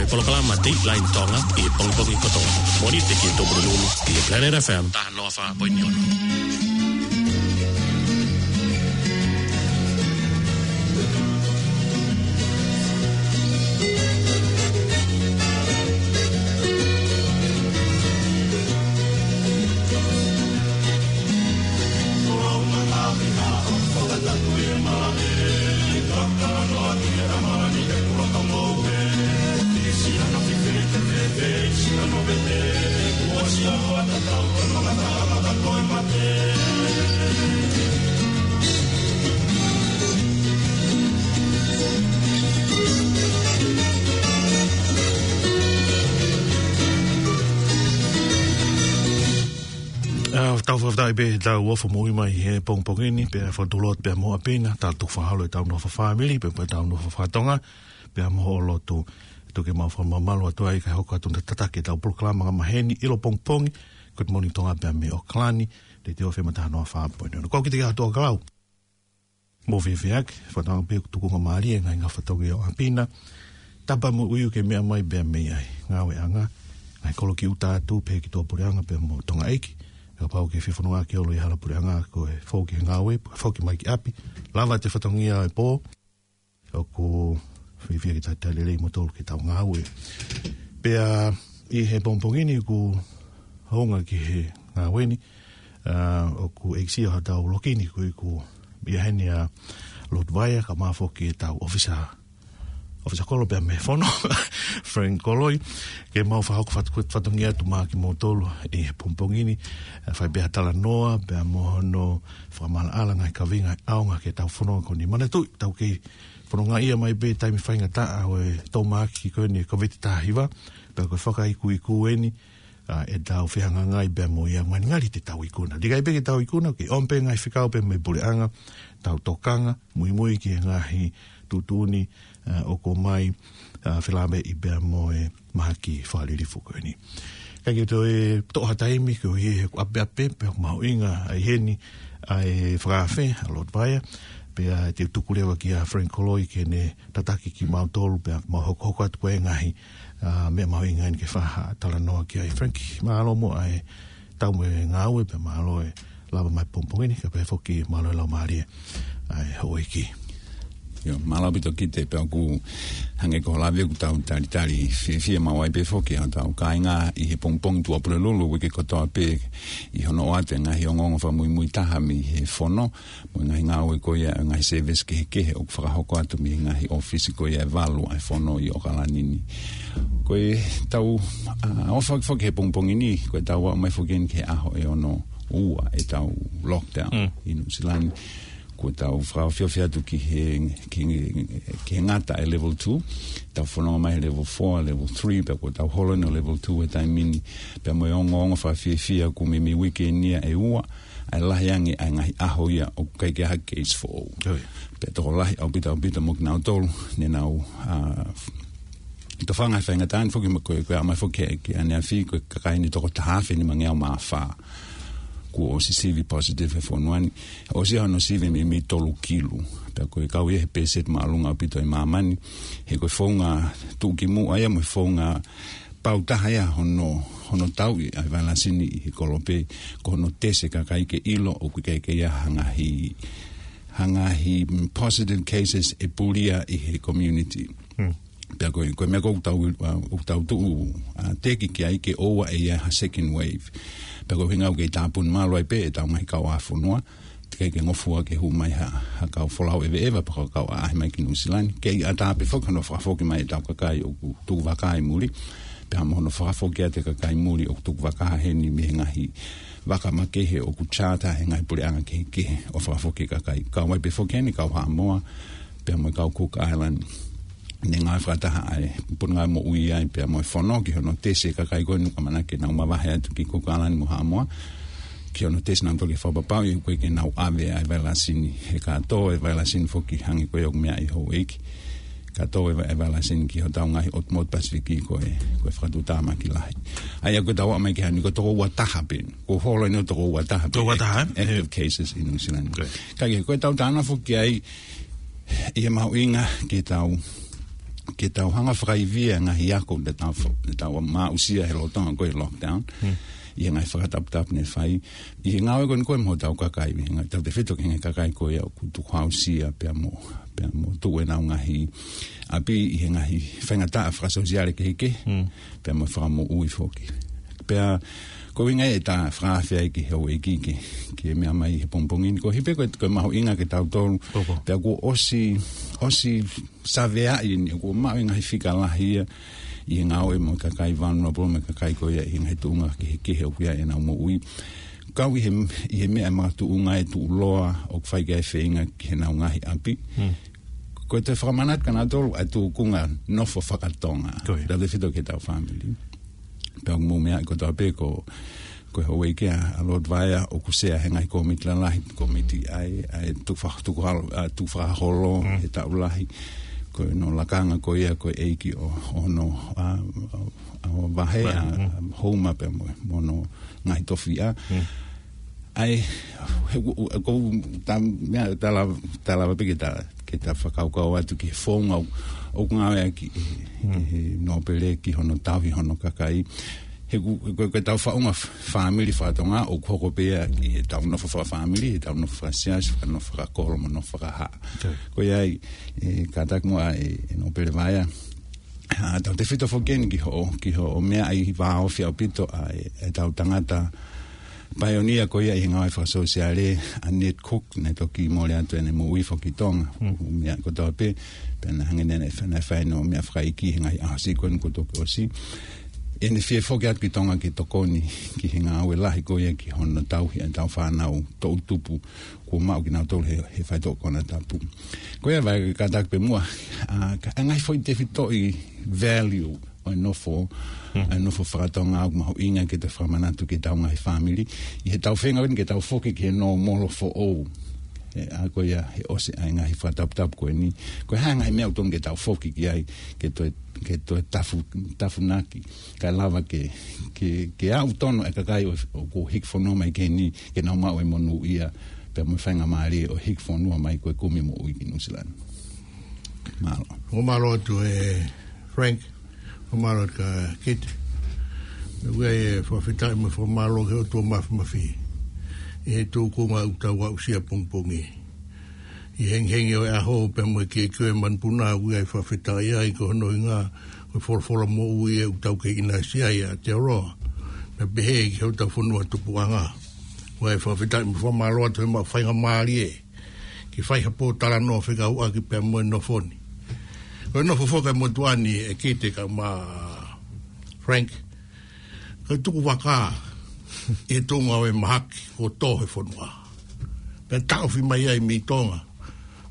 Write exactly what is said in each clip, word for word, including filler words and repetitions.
Polokalama Dateline Tonga ʻi he pongipongi kotoa. Mōnite ki he Tupulelulu ʻi he Planet F M taha noa fā poini ono. ʻA, tau fakafetaʻi pē, tau ofo moʻui mai he pongipongi ni, pea fakatulot pea mo ʻApina, tau tuku fakaholo ʻetau nofo fakafāmili, pea mo ʻetau nofo fakatonga, pea mo hoʻo lotu, tuku ke mau fakamamalu atu ai, kae hoko atu ʻo tataki ʻetau polokalama angamaheni, ʻilo pongipongi, Good Morning Tonga pea mei ʻAokalani, Letiō F M taha noa fā poini ono. Ko au Kite Kato Kalau. Mou fiefia ʻaki, fakatauange pē ʻoku tukunga mālie e ngaahi fatongia ʻo ʻApina. Tapa mo ʻUiu ke meʻa mai pea mei ai. Ngāueʻanga, ngaahi kolo ki ʻuta atu, pehē ki tuʻapuleʻanga pea mo Tonga ʻEiki. Kapau ʻoku ke fie fononga ʻaki ʻo ʻalu ʻi hala puleʻanga ko e foki he ngāue, foki mai ki ʻapi. Lava atu e fatongia ʻo e pō. ʻOku fiefia ke talitali lelei kimoutolu ki heʻetau ngāue. Pea ʻi he pongipongi ni ʻoku hounga ki he ngāue ni, ʻa, ʻoku ʻekisie hotau loki ni ko ʻeku ʻi heni ʻa Lord Vaea, kae ʻumaʻā foki ʻetau ʻōfisa, ʻōfisa kolo pea mei he fono, Frank Koloi, ke mau fakahoko fatu-, fatongia atu maʻa kimoutolu ʻi he pongipongi ni, ʻa, fai pē ha talanoa, pea mo hono fakamaʻalaʻala ngaahi kaveinga ʻaonga ki heʻetau fononga ko eni. Manatuʻi, tau kei fononga ia mai pē taimi faingataʻa ʻo e tōmaki ko eni e Kōviti taha hiva, pea ko e fakaikuiku eni, ʻa, ʻetau fehangahangai pea mo ia, ngalingali te tau ikuna. Liʻaki pē ke tau ikuna, ke ʻomi pē ngaahi fekau pea mei he puleʻanga, tau tokanga, muimui ki he ngaahi tuʻutuʻuni, ʻa, ʻoku ʻomai, ʻa, felāveʻi pea mo e mahaki fakalilifu ko eni. Kae kehe, toe toʻo ha taimi, koeʻuhi he ʻoku ʻapeʻape, pea ʻoku mahuʻinga ʻa e heni, ʻa e fakaafe, ʻa Lord Vaea, pea te u tuku leva kia Frank Koloi ke ne tataki kimautolu, pea mau hokohoko atu ko e ngaahi, ʻa, meʻa mahuʻinga eni ke fai ha talanoa ki ai. Frank, mālō muʻa e tau mo e ngāue, pea mālō e lava mai pongipongi ni, kae pehē foki mālō e laumālie ʻa e houʻeiki. ʻIo, mālō ʻaupito Kite, pea ʻoku hangē ko hoʻo lave ʻoku tau talitali fiefia maʻu ai pē foki hotau kāinga ʻi he pongipongi Tuʻapulelulu, uike kotoa pē ʻi hono ʻoatu e ngaahi ongoongo fakamuimui taha mei he fono, mo e ngaahi ngāue ko ia, ngaahi service kehekehe ʻoku fakahoko atu mei he ngaahi ʻōfisi ko ia ʻe valu ʻa e fono ʻi ʻAokalani ni. Ko ʻetau, ʻa, ʻofa foki he pongipongi ni, ko ʻetau aʻu mai foki eni ki he ʻaho ʻe ono ua ʻetau lockdown Mm. ʻi Nuʻusila ni. Ko ʻetau fakafiefia atu ki he, ki he, ki he ngata e level two, tau fononga mai he level four, level three, pea ko ʻetau holo eni ʻo level two he taimi ni, pea mo e ongoongo fakafiefia ʻoku meimei uike ni ia ʻe ua, ʻa e lahi ange ʻa e ngaahi ʻaho ia ʻoku ʻikai ke ʻi ai ha case foʻou. ʻIo. Pea tokolahi ʻaupito ʻaupito mo kinautolu, ne nau, ʻa, tofanga he faingataʻa ni foki mo ko e, ko e aʻu mai foki ki ʻaneafi, ko e kakai eni toko taha afe nimangeau mā fā kuo ʻosi sivi positive he fonua ni. ʻOsi ia hono sivi meimei tolu kilu. Pea ko e kau ia he pēseti māʻolunga ʻaupito ʻi māmani. He ko e founga tuʻukimuʻa ia mo e founga pau taha ia hono, hono tauʻi ʻa e vailasi ni ʻi he kolope, ko hono tesi e kakai ke ʻilo ʻoku ʻikai ke ʻi ai ha ngaahi, ha ngaahi positive cases ʻe pulia ʻi he community. Hmm. Pea ko e, ko e meʻa ko ē ʻoku tau, ʻa, ʻoku tau tuʻu, ʻa, teki ki ai ke ʻoua ʻe ʻi ai ha second wave. Pea ko e ʻuhinga ʻoku kei tāpuni mālohi ai pē ʻetau ngaahi kauʻāfonua, teʻeki ke ngofua ke hū mai ha, ha kau folau ʻeveʻeva pe ko ha kau ʻaʻahi mai ki Nuʻusila ni. Kei ʻatā pē foki hono fakafoki mai ʻetau kakai ʻoku tuku vaka ʻi muli. Pea mo hono fakafoki atu e kakai muli ʻoku tuku vaka heni mei he ngaahi vaka makehe ʻoku charter he ngaahi puleʻanga kehekehe ʻo fakafoki e kakai. Kau ai pē foki heni kau Haʻamoa, pea mo e kau Cook Island. Ne ngāue fakataha ai, puna ngāue moʻui ai, pea mo e fono ki hono tesi e kakai ko eni ʻoku ʻamanaki ke nau mavahe atu ki Cook Island mo Haʻamoa. Ki hono tesi nautolu ke fakapapauʻi ʻoku ʻikai ke nau ʻave ʻa e vailasi ni. He kātoa e vailasi ni foki hangē ko ia ʻoku meaʻi ʻe houʻeiki. Kātoa e va-, e vailasi ni ki hotau ngaahi ʻotu motu Pasifiki ko e, ko e fakatuʻutāmaki lahi. ʻA ia ko ʻetau aʻu mai ki heni ko e toko ua taha pē. Ko e holo eni ʻo toko ua taha pē. Toko ua taha, ē? Active cases ʻi Nuʻusila ni. Great. Kae kehe, ko ʻetau talanoa foki ai, ʻi he mahuʻinga ke tau ke tau hanga fakaivia e ngaahi ako ne tau fa-, ne tau maʻusia he lolotonga ko e lockdown. ʻI he ngaahi fakataputapu ne fai. ʻI he ngāue ko eni ko e mo hotau kakai, ʻi he ngaahi tautefito ki he ngaahi kakai ko ia ʻoku tukuhausia pea mo, pea mo tuʻu ʻenau ngaahi ʻapi ʻi he ngaahi faingataʻa fakasōsiale kehekehe. Pea mo fakamoʻui foki. Pea ko e ʻuhinga ia ʻeta fakaafe ai ki he houʻeiki ke, ke meʻa mai he pongipongi ni. Ko e hā pē ko e, ko e mahuʻinga ke tau tolu. Pea kuo ʻosi, ʻosi saveaʻi ni, kuo maʻu e ngaahi fika lahi ia ʻi he ngāue mo e kakai vulnerable mo e kakai ko ia ʻi he ngaahi tuʻunga kehekehe ʻoku ʻi ai ʻenau moʻui. Kau ʻi he, ʻi he meʻa makatuʻunga e tuʻuloa ʻoku fai ki ai e feinga ki heʻenau ngaahi ʻapi. Ko e toe fakamanatu kia nautolu ʻa e tūkunga nofo fakatonga. Tautefito ki heʻetau fāmili. Pea ʻoku mou meaʻi kotoa pē ko, ko e houʻeiki ʻa Lord Vaea ʻoku sea he ngaahi kōmiti lalahi, kōmiti ʻa e, ʻa e tufa-, tukuhalo-, ʻa, tukufakaholo he taʻu lahi. Ko hono lakanga ko ia ko e ʻeiki ʻo, ʻo hono, ʻa, ʻa, ʻa, vahe ʻa, ʻa, Houma pea mo, mo hono ngaahi tofiʻa. ʻA e, he, u-, u-, ko u-, ta-, meʻa, ta lava, ta lava pē ke ta, ke ta fakakaukau atu ki he founga ʻoku, ʻoku ngāueʻaki ʻe, ʻe he nōpele ki hono tauhi hono kakai. He ʻoku, ko, ko ʻetau faʻunga f-, fāmili fakatonga ʻoku hoko pē ia ʻi heʻetau nofo fakafāmili, heʻetau nofo fakasiasi, fakanofo fakakolo, mo nofo fakahā. Ko ia ai, ʻe, kātaki muʻa ʻe, ʻe nōpele Vaea. ʻA, tautefito foki eni ki hoʻo, ki hoʻo meaʻi vāofi ʻaupito ʻa e, ʻetau tangata paionia ko ia ʻi he ngāue fakasōsiale, ʻa Ned Cook, naʻe toki mole atu ʻene moʻui foki ʻi Tonga. Meʻa kotoa pē, pea naʻe hangē naʻe, naʻe fai hono meʻa fakaʻeiki he ngaahi ʻaho siʻi ko eni kuo toki ʻosi. ʻEne fie foki atu ki Tonga ke tokoni ki he ngāue lahi ko ia ki hono tauhi ʻetau fānau toʻutupu kuo maʻu kinautolu he, he faitoʻo konatapu. Ko ia Vaea kātaki pē muʻa, ʻa, ka, ʻa e ngaahi foʻi tefitoʻi value ʻo e nofo, ʻa e nofo fakatonga ʻoku mahuʻinga ke ta fakamanatu ki heʻetau ngaahi fāmili. ʻI heʻetau feinga eni ke tau foki ki he nōmolo foʻou. ʻE, ʻa ko ia he ʻosi ʻa e ngaahi fakataputapu ko eni. Ko e hā e ngaahi meʻa ʻoku totonu ke tau foki ki ai, ke toe, ke toe tafu-, tafunaki. Kae lava ke, ke, ke aʻu tonu e kakai ʻo, ʻoku hiki fonua mai ki heni, ke nau maʻu e monūʻia, pea mo e faingamālie ʻo e hiki fonua mai ko e kumi moʻui ki Nuʻusila ni. Mālō. ʻOku mālō atu ʻe Frank, ʻoku mālō atu kia Kite. Meʻa ʻoku ʻi ai e fakafetaʻi mo e fakamālō ki he ʻOtua Mafimafi. ʻI he tūkunga ʻoku tau aʻusia pongipongi. ʻI he hengihengi ʻo e ʻaho pea mo e kiʻekiʻe ʻo e manupuna ʻoku ʻi ai e fakafetaʻi ai ko hono ʻuhinga, ko e folofola moʻui ʻoku tau kei ʻinasi ai ʻa Aotearoa. Pea pehē ki hotau fonua tupuʻanga. ʻOku ʻi ai e fakafetaʻi mo e fakamālō atu he maʻu faingamālie ke fai ha pōtalanoa fekauʻaki pea mo e nofo ni. Ko e nofo foki ʻa e motuʻa ni ʻe Kite kae ʻumaʻā Frank. Ko e tuku vaka ʻi he tuʻunga ʻo e mahaki kuo tō he fonua. Pea taʻofi mai ai mei Tonga.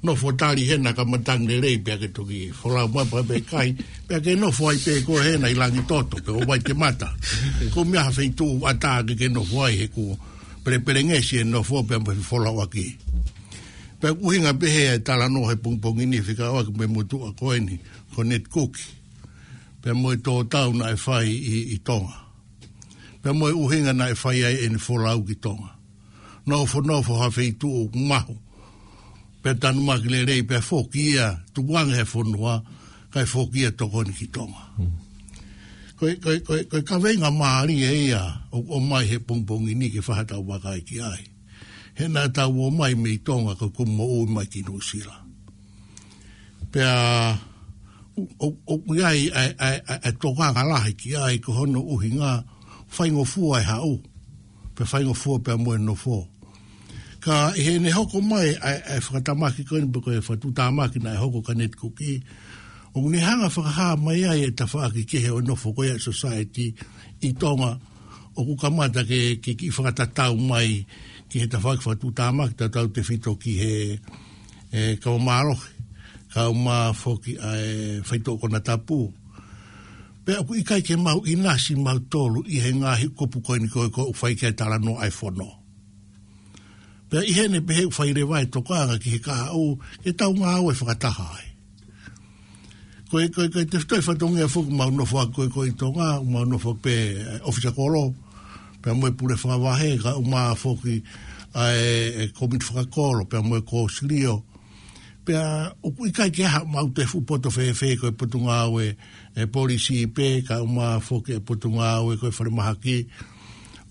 Nofo tali hena ka matangi lelei pea ke toki folau mai pea pe kai. Pea ke nofo ai pē koe hena ʻi Langitoto pe ʻo Vaitemata. Ko e meʻa ha feituʻu ʻatā ke ke nofo ai he kuo pelepelengesi e nofo pea mo e folauʻaki. Pea ʻoku ʻuhinga pehē ʻa e talanoa he pongipongi ni fekauʻaki mo e motuʻa ko eni, ko Ned Cook. Pea mo e tō tau naʻe fai ʻi, ʻi Tonga. Pea mo e ʻuhinga naʻe fai ai ʻene folau ki Tonga. Nofonofo ha feituʻu ʻoku mahu. Pea tanumaki lelei, pea foki ia, tukuange he fonua, kae foki ia tokoni ki Tonga. Ko e, ko e, ko e, ko e kaveinga mālie ia, ʻoku ʻomai he pongipongi ni ke fai haʻatau vakai ki ai. He naʻa tau ō mai mei Tonga ko e kumi moʻui mai ki Nuʻusila. Pea ʻo, ʻo, ʻoku ʻi ai ʻa e, ʻa e, ʻa e, ʻa e tokanga lahi ki ai ko hono ʻuhinga faingofua e haʻu. Pea faingofua pea mo e nofo. Ka ʻi heʻene hoko mai ʻa e, ʻa e fakatamaki ko eni pe ko e fakatuʻutāmaki naʻe hoko kia Ned Cook, ʻoku ne hanga fakahā mai ai e tafaʻaki kehe ʻo e nofo ko ia ʻa e society ʻi Tonga, ʻoku kamata ke, ke, ke fakatatau mai ki he tafaʻaki fakatuʻutāmaki tautautefito ki he, ʻe, kava mālohi, kae ʻumaʻā foki ʻa e faitoʻo konatapu. Pea ʻoku ʻikai ke mau ʻinasi mautolu ʻi he ngaahi kupu ko eni ko e ʻoku fai ki ai e talanoa ʻa e fono. Pea ʻi heʻene pehē ʻoku fai leva e tokanga ki he kahaʻu, ke tau ngāue fakataha ai. Ko e, ko e, ko e tefitoʻi fatongia foki ʻoku mau nofo ʻaki ko e, ko e ʻi Tonga, ʻoku mau nofo ʻaki pē, ʻe, ʻōfisa kolo, pea mo e pule fakavahe, kae ʻumaʻā foki ʻa e, ʻe, kōmiti fakakolo, pea mo e kōsilio. Pea ʻoku ʻikai ke ʻi ai haʻamau toe fuʻu poto fēfē, ko e Potungāue ʻa e Polisi pē, kae ʻumaʻā foki e Potungāue ko e Falemahaki,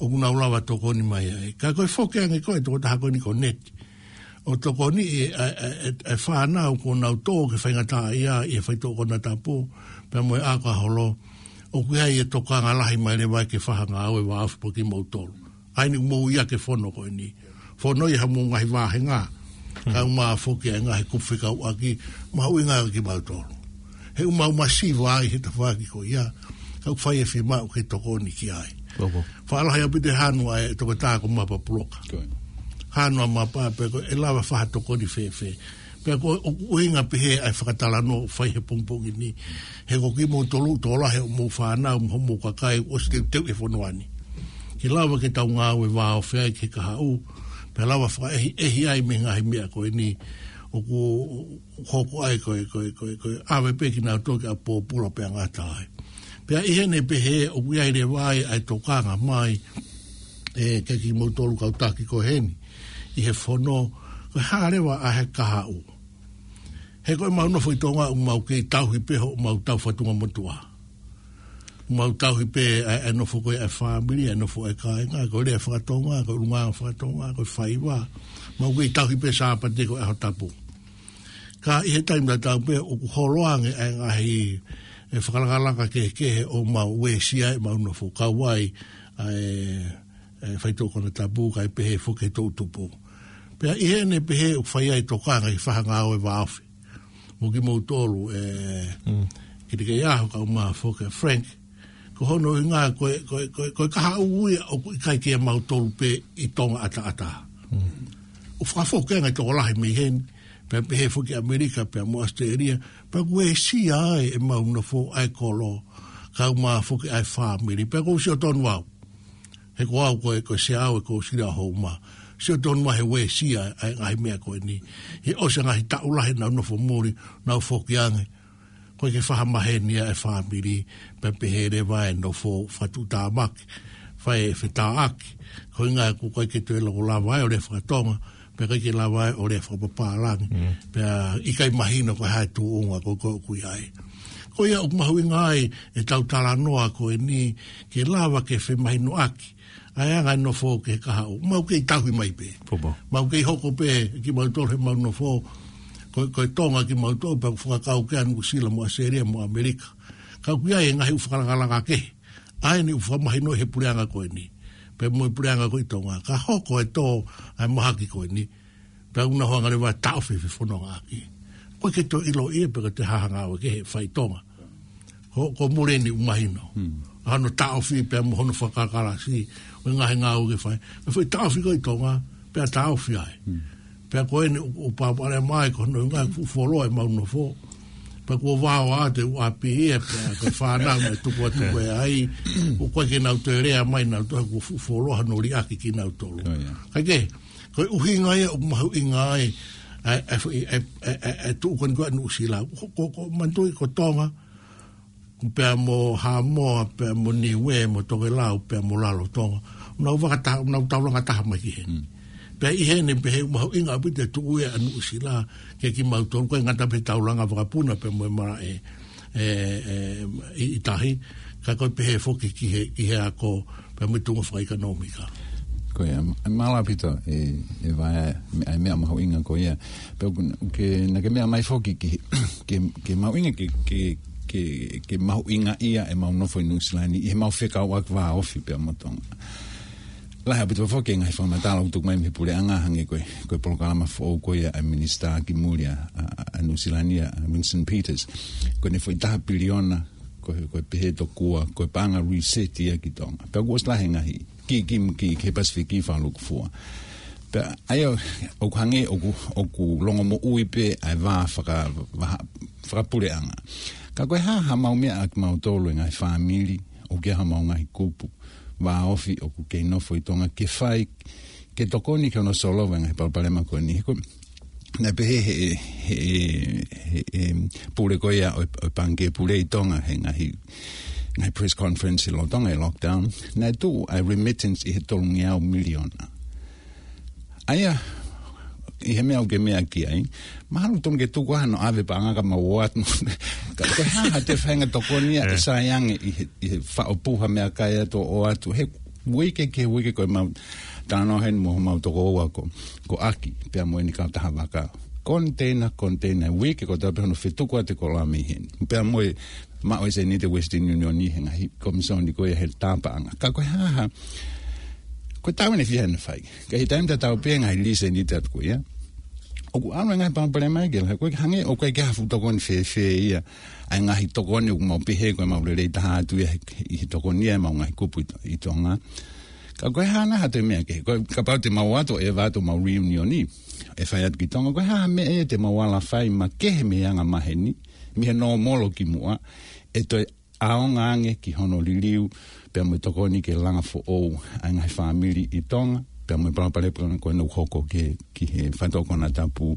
ʻoku nau lava tokoni mai ai. Ka ko e foki ange ko e tokotaha ko eni ko Neti, ʻo tokoniʻi e, e, e, e, e fānau kuo nau tō ke faingataʻaʻia ʻi he faitoʻo konatapu pea mo e ʻakaholo, ʻoku ʻi ai e tokanga lahi mai leva ke fai ha ngāue vāofi pea kimoutolu. ʻA eni ʻoku mou ʻi ai e fono ko eni. Fono ʻi haʻamou ngaahi vāhenga, kae ʻumaʻā foki e ngaahi kupu fekauʻaki, mahuʻinga kiate kimautolu. He ʻoku mau masiva ai he tafaʻaki ko ia, ka ʻoku fai e fiemaʻu ke tokoni ki ai. Faʻa lahi ʻaupito e hanu ʻa e tokotaha ko Mapa Puloka. Hanu ʻa Mapa pea ko e lava fai ha tokoni fēfē. Pea ko e ʻuhinga pehē ʻa e fakatalanoa ʻoku fai he pongipongi ni. He ko kimoutolu tokolahi ʻo mou fānau mo hoʻomou kakai ʻosi teuteu e fonua ni. Ke lava ke tau ngāue vāofi ai ki he kahaʻu, pea lava fakaʻehiʻehi ai mei he ngaahi meʻa ko eni ʻoku hoko ai ko e, ko e, ko e, ko e ʻave pē kinautolu ki ʻapi pōpula pea ngata ai. Pea ʻi heʻene pehē ʻoku ʻi ai leva ai ʻa e tokanga mai, ē, kiate kimoutolu kau taki ko eni, ʻi he fono, ko e hā leva ʻa e kahaʻu. He ko ʻemau nofo ʻi Tonga ʻoku mau kei tauhi pē hoʻomau tau fatunga motuʻa. Mau tauhi pē ʻa e, ʻa e nofo ko ē ʻa e fāmili, ʻa e nofo ʻa e kāinga, ko e lea fakatonga, ko e ʻulungaanga fakatonga, ko e faiva. Mau kei tauhi pē Sāpate ko e ʻaho tapu. Ka ʻi he taimi tatau pē ʻoku holo ange ʻa e ngaahi, e, fakalakalaka kehekehe ʻo mau uesia ʻemau nofo, kau ai ʻa e, e faitoʻo konatapu kae pehē foki e toʻutupu. Pea ʻi heʻene pehē ʻoku fai ai e tokanga ke fai ha ngāue vāofi mo kimoutolu, ē, Kilikeʻiaho kae ʻumaʻā foki ʻa Frank. Ko hono ʻuhinga ko e, ko e, ko e, ko e kahaʻu ia ʻoku ʻikai ke ʻiate kimautolu pē ʻi Tonga ʻataʻatā. ʻOku fakafoki ange tokolahi mei heni, pea pehē foki ʻAmelika, pea mo ʻAositelēlia, pea ʻoku uesia ai ʻemau nofo ʻa e kolo, kae ʻumaʻā foki ʻa e fāmili, pea ʻoku ou sio tonu au. He ko au ko e, ko e sea au e ko sila ho uma. Sio tonu au he uesia ʻa e ngaahi meʻa ko eni. He ʻosi e ngaahi taʻu lahi ʻenau nofo muli, nau foki ange. ʻOku ʻikai ke fakamaheni ʻa e fāmili, pea pehē leva e nofo fakatuʻutāmaki, fai e fetāʻaki. Ko e ʻuhinga ʻoku ʻikai ke toe lava ai ʻo lea fakatonga, pea ʻikai ke lava ai ʻo lea fakapapālangi. Pea ʻikai mahino ko e hā e tuʻunga ko ē ʻoku ʻi ai. Ko ia ʻoku mahuʻinga ai ʻetau talanoa ko eni ke lava ke femahinoʻaki ʻa e anga e nofo ki he kahaʻu. Mau kei tauhi mai pē. Mau kei hoko pē kimautolu heʻemau nofo. Ko, ko e Tonga kimautolu pea ʻoku fakakau ki ai Nuʻusila mo ʻAositelēlia mo ʻAmelika. Ka ʻoku ʻi ai e ngaahi ʻū fakalakalaka kehe. ʻA eni ʻoku fakamahinoʻi he puleʻanga ko eni. Pea mo e puleʻanga ko ē ʻi Tonga. Ka hoko e tō ʻa e mahaki ko eni, pea ʻoku nau hanga leva ʻo taʻofi e fefonongaʻaki. ʻOku ʻikai ke toe ʻiloʻi ia pe ko e hā ha ngāue kehe ʻe fai ʻi Tonga. Ko, ko muli eni ʻoku mahino. ʻA hono taʻofi pea mo hono fakakalasi ʻo e ngaahi ngāue ke fai. Ko e foʻi taʻofi ko ē ʻi Tonga, pea taʻofi ai. Pea ko eni ʻoku, ʻoku pāpale mai ko hono ʻuhinga ʻoku fuoloa ʻemau nofo. Pea kuo vao atu e ʻū ʻapi ia, pea ko e fānau naʻe tukuatuku ai. ʻOku ʻikai ke nau toe lea mai nautolu, kuo fuoloa hono liʻaki kinautolu. Kae kehe, ko e ʻuhinga ia ʻoku mahuʻinga ai ʻa e, ʻa e, ʻa e tuʻu ko eni ko ē ʻa Nuʻusila. Ko, ko, ko, manatuʻi ko Tonga, pea mo Haʻamoa, pea mo Niuē, mo Tokelau, pea mo Lalotonga. Nau vakata-, nau taulanga taha mai ki heni. Pea ʻi heʻene pehē ʻoku mahuʻinga ʻaupito e tuʻu ia ʻa Nuʻusila kiate kimautolu, ʻikai ngata pē he taulanga vakapuna pea mo e malaʻe, ē, ē, ʻi, ʻi tahi, ka ko e pehē foki ki he, ki he ako, pea mo e tuʻunga fakaʻekonōmika. Ko ia, mālō ʻaupito, ē, ē, ʻa e meʻa, ʻa e meʻa mahuʻinga ko ia. Pea ʻoku, ʻoku ke, naʻa ke meʻa mai foki ki, ke, ke mahuʻinga, ke, ke, ke, ke mahuʻinga ia ʻemau nofo ʻi Nuʻusila ni, ʻi heʻemau fekauʻaki vāofi pea mo Tonga. Lahi ʻaupito foki e ngaahi fakamatala ʻoku tuku mai mei he puleʻanga hangē ko e, ko e polokalama foʻou ko ia ʻa e minisitā ki muli ʻa, ʻa, ʻa Nuʻusila ni, ʻa Winston Peters. Ko ʻene foʻi taha piliona, ko e, ko e pehē tokua, ko e paʻanga reset ia ki Tonga. Pea kuo ʻosi lahi e ngaahi, ki, ki, ki, ki he Pasifiki fakalūkufua. Pea ʻa ia ʻoku hangē ʻoku, ʻoku longomoʻui pē ʻa e vā faka-, vā fakapuleʻanga. Ka ko e hā haʻamau meʻa ʻa kimautolu e ngaahi fāmili, ʻoku ʻi ai haʻamau ngaahi kupu vāofi ʻoku kei nofo ʻi Tonga ke fai, ke tokoni ki hono solova e ngaahi palopalema ko eni. He ko e, naʻe pehē he, he, he, he pule ko ia ʻo e, ʻo e Pangikē Pule ʻi Tonga he ngaahi, ngaahi press conference ʻi lolotonga e lockdown. Naʻe tuʻu ʻa e remittance ʻi he tolungeau miliona. ʻA ia, ʻi he meʻa ʻoku ke meʻa ki ai. Mahalo tonu ke tuku hano ʻave paʻanga ka mau ʻoatu. Ka ko e hā ha toe faʻahinga tokoni ia ʻe sai ange ʻi he, ʻi he faʻo puha meʻakai atu ʻo ʻoatu. He uike ki he uike ko e mau talanoa heni mo homau tokoua ko, ko ʻAki, pea mo ʻene kautaha vaka. Koniteina, koniteina, uike ko e tau pē hono fetuku atu e koloa mei heni. Pea mo e maʻu e sēniti Western Union ʻi he ngaahi komisoni ko ia he tā paʻanga. Ka ko e hā ha, ko e tau ʻene fiha ʻene fai. Ka ʻi he taimi tatau pē ngaahi lī sēniti atu ko ia. ʻOku ʻalu e ngaahi palopalema ia ke la, ko e hangē ʻoku ʻikai ke ha fuʻu tokoni fēfē ia. ʻA e ngaahi tokoni ʻoku mau pehē ko e mau lelei taha atu ia he, ʻi he tokoni ia ʻemau ngaahi kupu ʻi To-, ʻi Tonga. Ka ko e hā nai ha toe meʻa kehe. Ko e kapau te mau ʻoatu e vato mau reunion ʻi, ʻe fai atu ki Tonga. Ko e hā ha meʻa ia te mau ala fai makehe mei he anga maheni, mei he nōmolo ki muʻa, ʻe toe ʻaonga ange ki hono liliu, pea mo e tokoni ke langa foʻou ʻa e ngaahi fāmili ʻi Tonga, pea mo e palopalema ko ena ʻoku hoko ki, ki he faʻitoka konatapu,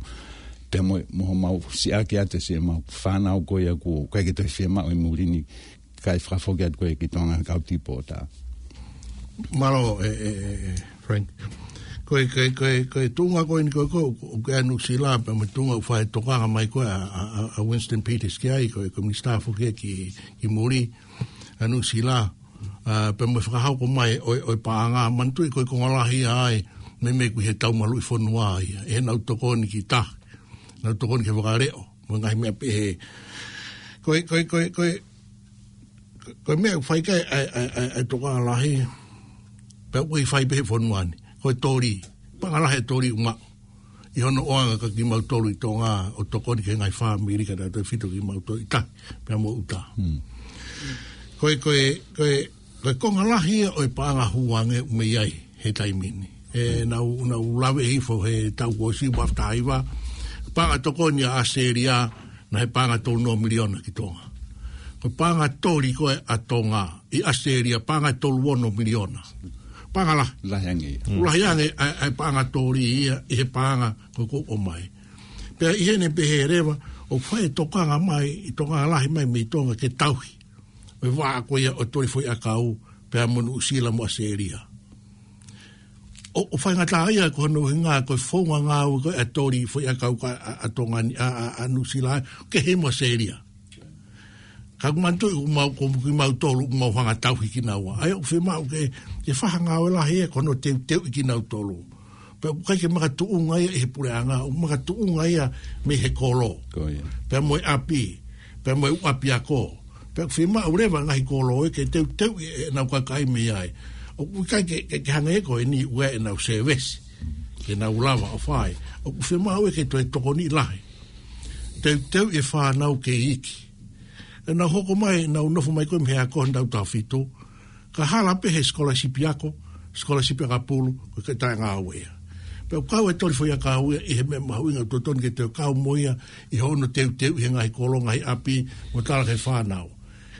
pea mo, mo homau siʻaki atu siʻemau fānau ko ia kuo ʻikai ke toe fiemaʻu ʻi muli ni, kae fakafoki atu ko ia ki Tonga he kau tipota. Mālō, e, e, e, e, Frank. Ko e, ko e, ko e, ko e tuʻunga ko eni ko e, ko, ko, ko e Nuʻusila, pea mo e tuʻunga ʻoku fai tokanga mai ko e ʻa, ʻa, ʻa, ʻa Winston Peters ki ai, ko e, ko e minisitā foki ia ki, ki muli, ʻa Nuʻusila, ʻa, pea mo e fakahoko mai ʻo e, ʻo e paʻanga, manatuʻi ko e konga lahi ia ai, meimei ko e he tau maluʻi fonua ia, ʻi heʻenau tokoni ki tahi, nau tokoni ki he fakaleʻo, mo e ngaahi meʻa pehē. Ko e, ko e, ko e, ko e, ko e meʻa ʻoku fai ki ai ʻa e, ʻa e, ʻa e, ʻa e tokanga lahi, pea ʻoku ʻi fai pē he fonua ni. Ko e toli, paʻanga lahi e toli ʻoku maʻu. ʻI hono ʻoange kia kimautolu ʻi Tonga ʻo tokoni ki he ngaahi fāmili ka tautefito kimautolu ʻi tahi, pea mo ʻuta. Hmm. Ko e, ko e, ko e, ko e konga lahi ia ʻo e paʻanga hū ange ʻoku mei ai he taimi ni. ʻE, hmm, nau, nau lave hifo he tau kuo ʻosi, ua afe taha hiva, paʻanga tokoni ʻa ʻAositelēlia, naʻe paʻanga tolu noa miliona ki Tonga. Ko e paʻanga toli ko ē ʻa Tonga ʻi ʻAositelēlia, paʻanga tolu ono miliona. Paʻanga lahi. Lahi ange ia. Mm. Lahi ange ʻa e, ʻa e paʻanga toli ia ʻi he paʻanga ko ē kuo ʻomai. Pea ʻi heʻene pehē leva, ʻoku fai tokanga mai, ʻi tokanga lahi mai mei Tonga ke tauhi ʻo e vaʻa ko ia ʻo e toli foʻiʻakau, pea mo Nuʻusila mo ʻAositelēlia. ʻO, ʻo faingataʻaʻia ko hono ʻuhinga ko e founga ngāue ko ē ʻa e toli foʻiʻakau ko ē ʻa, ʻa Tonga ni, ʻa, ʻa, ʻa Nuʻusila, kehe mo ʻAositelēlia. Ka ʻoku manatuʻi ʻoku mau, ko kimautolu, ʻoku mau hanga tauhi kinaua. ʻA ia ʻoku fiemaʻu ke, ke fai ha ngāue lahi ia ko hono teuteuʻi kinautolu. Pea ʻoku ʻikai ke makatuʻunga ia ʻi he puleʻanga, ʻoku makatuʻunga ia mei he kolo. Ko ia. Pea mo e ʻapi, pea mo e ʻū ʻapiako. Pea ʻoku fiemaʻu leva ngaahi kolo ē ke teuteuʻi ʻenau kakai mei ai. ʻOku ʻikai ke, ke, ke hangē ko eni ʻoku ʻi ai ʻenau sēvesi ke nau lava ʻo fai. ʻOku fiemaʻu ia ke toe tokoniʻi lahi. Teuteuʻi e fānau kei iiki. ʻE nau hoko mai, nau nofo mai ko ē mei he ako ʻi he taʻu taha fitu. Ka hala pē he scholarship ako, scholarship ʻakapulu, ko e ke taʻe ngāue ia. Pea ʻoku kau e toli foʻiʻakau ia ʻi he meʻa mahuʻinga ʻoku totonu ke toe kau mo ia ʻi hono teuteuʻi he ngaahi kolo, ngaahi ʻapi, mo tala ki he fānau.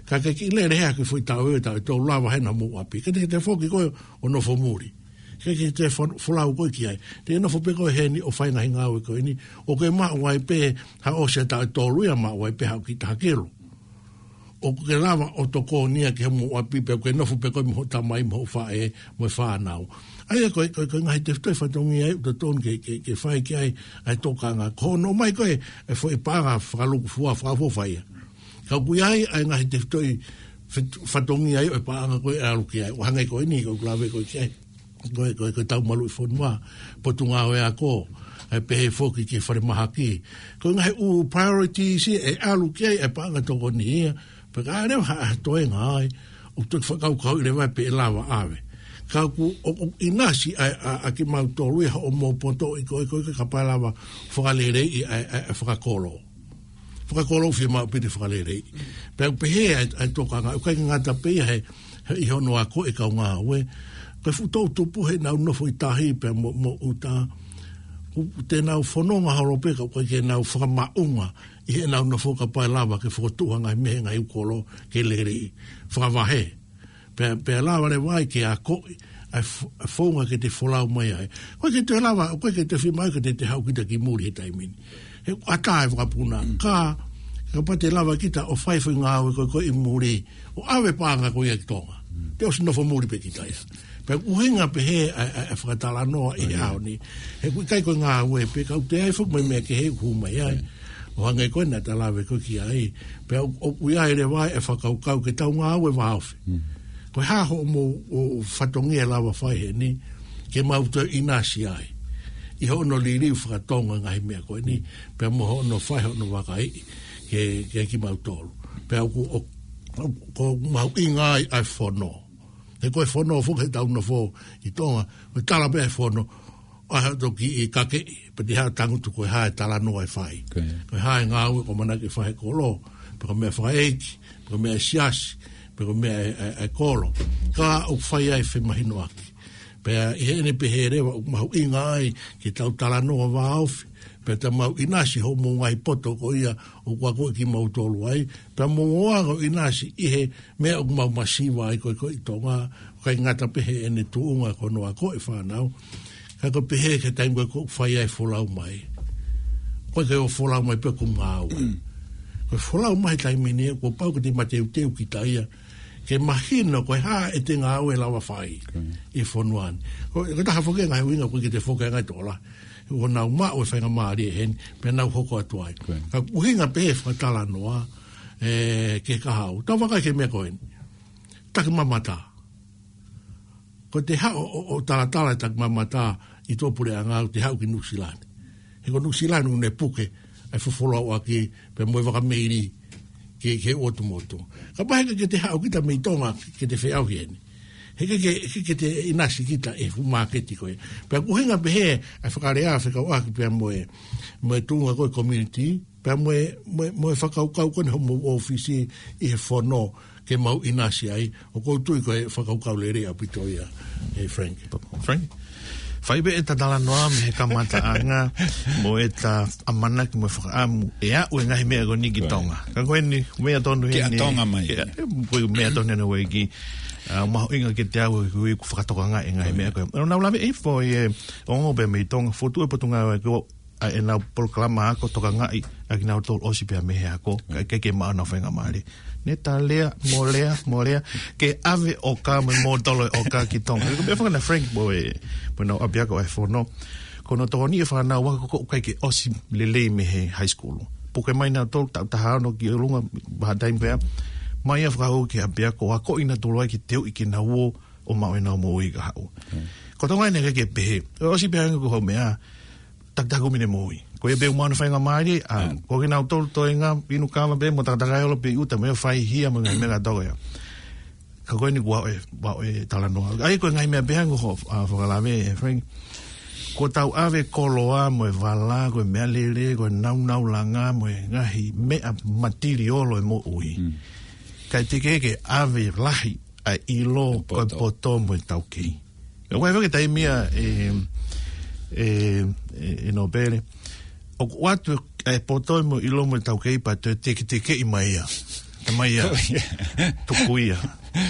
Ka ke kiʻi lele hea ki he foʻi taʻu ʻe taha ʻe tolu, lava hena mo e ʻapi. Ke te, ke te foki ko ē ʻo nofo muli. Ke, ke te fo-, folau ko ē ki ai. Te nofo pē ko ē heni ʻo fai ngaahi ngāue ko eni. ʻOku ke maʻu ai pē ha ʻosi ʻa e taʻu ʻe tolu ia, maʻu ai pē haʻo kiʻi taha kilo. ʻOku ke lava ʻo tokoni ia ki hoʻo ʻapi pea ʻoku ke nofo pē koe mo hoʻo tamai mo hoʻo faʻē mo e fānau. ʻA ia ko e, ko e, ko e ngaahi tefitoʻi fatongia ia ʻoku totonu ke, ke, ke fai ki ai ʻa e tokanga. Ko hono ʻomai ko ē e foʻi paʻanga fakalukufua, fakaʻofoʻofa ia. Ka ʻoku ʻi ai ʻa e ngaahi tefitoʻi fet-, fatongia ia ʻo e paʻanga ko ē ʻe ʻalu ki ai. ʻO hangē ko eni ko ē ʻoku lave ko ē ki ai. Ko e, ko e, ko e tau maluʻi fonua, potungāue ako, ʻe pehē foki ki he falemahaki. Ko e ngaahi ʻū priorities ia ʻe ʻalu ki ai e paʻanga tokoni ia, pea ka ʻi ai leva ha, ha toenga ai, ʻoku toki fakakaukauʻi leva pe ʻe lava ʻave. Ka ʻoku, ʻo, ʻoku ʻinasi ʻa, ʻa, ʻa kimautolu ia hoʻomo poto ʻi ko ē, ko ē kapau ʻe lava fakaleleiʻi ʻa, ʻa, ʻa fakakolo. Fakakolo ʻoku fiemaʻu pē ke fakaleleiʻi. Pea ʻoku pehē ʻa e, ʻa e tokanga, ʻoku ʻikai ke ngata pē ia he, he ʻi hono ako e kau ngāue. Ko e fuʻu toʻutupu heʻenau nofo ʻi tahi pea mo, mo ʻuta. ʻOku te nau fononga holo pē ka ʻoku ʻikai ke nau fakamaʻunga ʻi heʻenau nofo kapau ʻe lava ke fokotuʻu ha ngaahi meʻa he ngaahi ʻū kolo ke lele fakavahe. Pea, pea lava leva ai ke akoʻi ʻa e f-, ʻa e founga ke te folau mai ai. ʻOku ʻikai ke te lava, ʻoku ʻikai ke te fiemaʻu ke te, te haʻu kita ki muli he taimi ni. He ʻoku ʻatā e vakapuna. Mm. Ka, kapau te lava kita ʻo fai foʻi ngāue ko ē, ko ē ʻi muli, ʻo ʻave paʻanga ko ia ki Tonga. Te ʻosi nofo muli pē kita ia. Pea ʻuhinga pē he ʻa, ʻa, ʻa e fakatalanoa ʻi he ʻaho ni. He ʻoku ʻikai ko e ngāue pē, ka ʻoku toe ʻi ai foki mo e meʻa kehe ʻoku hū mai ai. ʻO hangē ko ena ta lave ko ē ki ai. Pea ʻoku, ʻoku ʻi ai leva e fakakaukau ke tau ngāue vāofi. Ko e hā hoʻomou, ʻo, fatongia lava fai heni, ke mau toe ʻinasi ai. ʻI hono liliu fakatonga ngaahi meʻa ko eni, pea mo hono fai hono vakaiʻi, ke, ke kimautolu. Pea ʻoku, ʻo, ʻo, ʻoku mahuʻinga ai ʻa e fono. He ko e fono foki he tau nofo ʻi Tonga, ko e tala pē ʻa e fono, ʻa e toki ʻi kake, pea te haʻu tangutu ko e hā e talanoa ʻe fai. Ko e hā e ngāue ʻoku ʻamanaki ke fai he kolo, pe ko e meʻa fakaʻeiki, pe ko e meʻa siasi, pe ko e meʻa e, e, e kolo. Ka ʻoku fai ai femahinoʻaki. Pea ʻi heʻene pehē leva ʻoku mahuʻinga ai ke tau talanoa vāofi, pea te mau ʻinasi hoʻomou ngaahi poto ko ia ʻoku akoʻi kimautolu ai, pea mou ō ʻo ʻinasi ʻi he meʻa ʻoku mau masiva ai ko ē ko ē ʻi Tonga, ʻikai ngata pē heʻene tuʻunga ko hono akoʻi fānau, ka ko e pehē ki he taimi ko ē ʻoku fai ai e folau mai. Ko e ke ō folau mai pē ko e ngāue. Ko e folau mai he taimi ni, kuo pau ke te mateuteu kita ia, ke mahino ko e hā ʻete ngāue lava fai ʻi he fonua ni. Ko, ko e taha foki e ngaahi ʻuhinga ko ē ke te foki ai e ngaahi tokola. ʻO nau maʻu e faingamālie heni, pea nau hoko atu ai. Ka ʻuhinga pē he fakatalanoa, e, ke ka hau. Tau vakai ki he meʻa ko eni. Takimamata. Ko ʻete haʻu ʻo, ʻo, ʻo talatala e takimamata ʻi tuʻapuleʻanga ʻoku te haʻu ki Nuʻusila ni. He ko Nuʻusila ni ʻoku ne puke ʻa e fefolauʻaki pea mo e vaka meili ki, ki he ʻotu motu. Kapau he ʻikai ke te haʻu kita mei Tonga ke te feʻauhi heni. He ʻikai ke, ke, ke te ʻinasi kita ʻi he fuʻu māketi ko ē. Pea ʻoku ʻuhinga pē he ʻa e fakalea fekauʻaki pea mo e, mo e tuʻunga ko ē community, pea mo e, mo e, mo e fakakaukau ko eni hoʻomou ʻōfisi ʻi he fono ke mau ʻinasi ai, ʻoku ou tui ko e fakakaukau lelei ʻaupito ia, e Frank. Frank? Fai pē ʻeta talanoa mei he kamataʻanga, mo ʻeta ʻamanaki mo e fakaʻamu ʻe aʻu e ngaahi meʻa ko eni ki Tonga. Ka ko eni, meʻa tonu heni. Tonga mai. Ko e meʻa tonu heni ʻa e uike. ʻA, mahuʻinga ke te aʻu he uike ʻoku fakatokangaʻi e ngaahi meʻa ko ē. ʻOku nau lave ʻi he foʻi, e, ongo pē mei Tonga, fotu e Potungāue ko ē, ʻa ʻenau polokalama ako tokangaʻi ʻa kinautolu ʻosi pea mei he ako, ka ʻikai ke maʻu honau faingamālie. Ne ta lea, mo lea, mo lea, ke ʻave ʻoka mo e mōtolo ʻoka ki Tonga. Ko e meʻa faka na Frank mo e, mo ʻenau ʻapiako ʻa e fono. Ko hono tokoni e fānau ako ʻoku ʻikai ke ʻosi lelei mei he high school. Puke mai nautolu taʻu taha ono ki ʻolunga, vaha taimi pea. Mai ia fakahoko ki he ʻapiako, akoʻi nautolu ai ke teuʻi ke nau ō ʻo maʻu ʻenau moʻui kahaʻu. Ko Tonga ʻeni ʻikai ke pehē. ʻOsi pē hangē ko hoʻo meʻa, takitaha kumi ne moʻui. Ko ia pē ʻoku maʻu honau faingamālie, ʻa, ko kinautolu toenga, inu kava pē, mo takataka e olo pē ʻi ʻuta, mo e fai hia, mo e ngaahi meʻa kātoa ia. Ka ko eni kuo ʻe, kuo ʻe talanoa. ʻA ia ko e ngaahi meʻa pē hangē ko hoʻo, ʻa, fakalave, e Frank. Kuo tau ʻave koloa, mo e vala, ko e meʻalele, ko e nāunau langa, mo e ngaahi meʻa matiliolo e moʻui. Ka ʻe teʻeki ke ʻave lahi ʻa e ʻilo, ko e poto mo e taukei. ʻOku ʻi ai foki e taimi ia, e, e, e, e Nōpele. ʻOku ʻoatu e poto mo e ʻilo mo e taukei pea toe teketekeʻi mai ia. Ka mai ia. Tuku ia.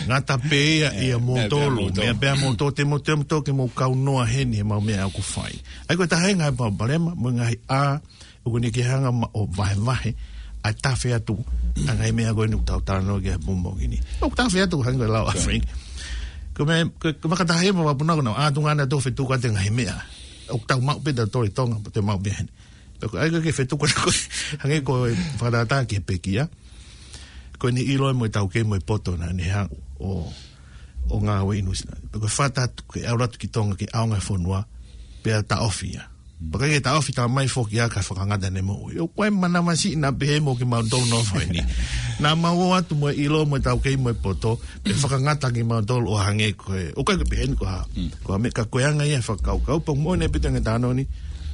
Ngata pē ia, ia moutolu. Meʻa pē ʻa moutolu, te mou, te mou toki mou kaunoa heni he mau meʻa ʻoku fai. ʻA ia ko e taha e ngaahi palopalema, mo e ngaahi ʻā, ʻoku ne ke hanga ma-, ʻo vahevahe, ʻa e tafe atu, ʻa e ngaahi meʻa ko eni ʻoku tau talanoa ki ai he pongipongi ni. ʻOku tafe atu hangē ko e lau ʻa Frank. Ko e meʻa, ko e, ko e vakataha ia mo e vapuna ko ena, ʻa tunga ana tō fetuku atu e ngaahi meʻa. ʻOku tau maʻu pē tautolu ʻi Tonga, pea te mau pē heni. Pea ko e ʻai ko ē ke fetuku atu ko ē, hangē ko e fakatātā ki he pekia. Ko eni ʻilo mo e taukei mo e poto naʻa ne haʻu ʻo, ʻo ngāue ʻi Nuʻusila. Pea ko e fata atu ke ʻalu atu ki Tonga ke ʻaonga e fonua, pea taʻofi ia. Pea ʻikai ke taʻofi, taʻa mai foki ia ka fakangata ʻene moʻui. ʻOku ʻi ai e manavasiʻi naʻa pehē mo kimautolu nofo heni. Naʻa mau ō atu mo e ʻilo mo e taukei mo e poto, pea fakangata kimautolu ʻo hangē ko e. ʻOku ʻikai ke pehē ni ko ha, ko ha meʻa ka ko e anga ia e fakakaukau, pea mo ʻene pita nge tāno ni,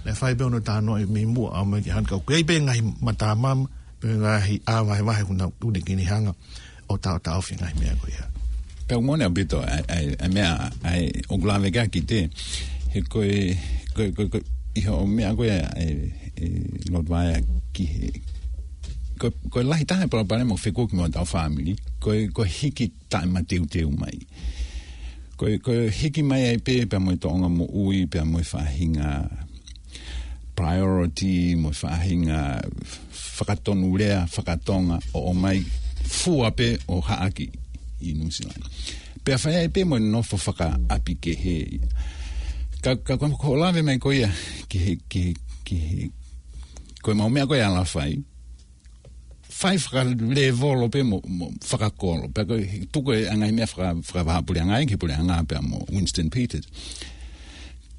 naʻe fai pē hono tāno ʻi mei muʻa ʻo aʻu mai ki hano ka ʻoku ʻi ai pē ngaahi matamama, pea ngaahi ʻā vahevahe ʻoku nau tune ki ni hanga ʻo taʻotaʻofi e ngaahi meʻa ko ia. Pea ʻoku moʻoni ʻaupito, ʻa e, ʻa e, ʻa e meʻa, ʻa e, ʻoku lave ki ai Kite, he ko e, ko e, ko e, ko e, ʻi hoʻo meʻa ko ia, ʻa e, ʻe, Lord Vaea ki he, ko e, ko e lahi taha e palopalema ʻoku fekuki mo hotau fāmili, ko e, ko e hiki taʻe mateuteu mai. Ko e, ko e hiki mai ai pē, pea mo e tōʻonga moʻui, pea mo e faʻahinga priority, mo e faʻahinga fakatonulea, fakatonga, ʻo ʻomai fua pē ʻo haʻaki ʻi Nuʻusila. Pea fai ai pē mo e nofo fakaʻapi kehe. Ka, ka ko, ko e lave mai ko ia ki he, ki he, ki he, ko e mau meʻa ko ia ʻa Lafai. Fai fakalēvolo pē mo, mo fakakolo. Pea ko e tuku e ngaahi meʻa faka, fakavahaʻapuleʻanga ki he puleʻanga pea mo Winston Peters.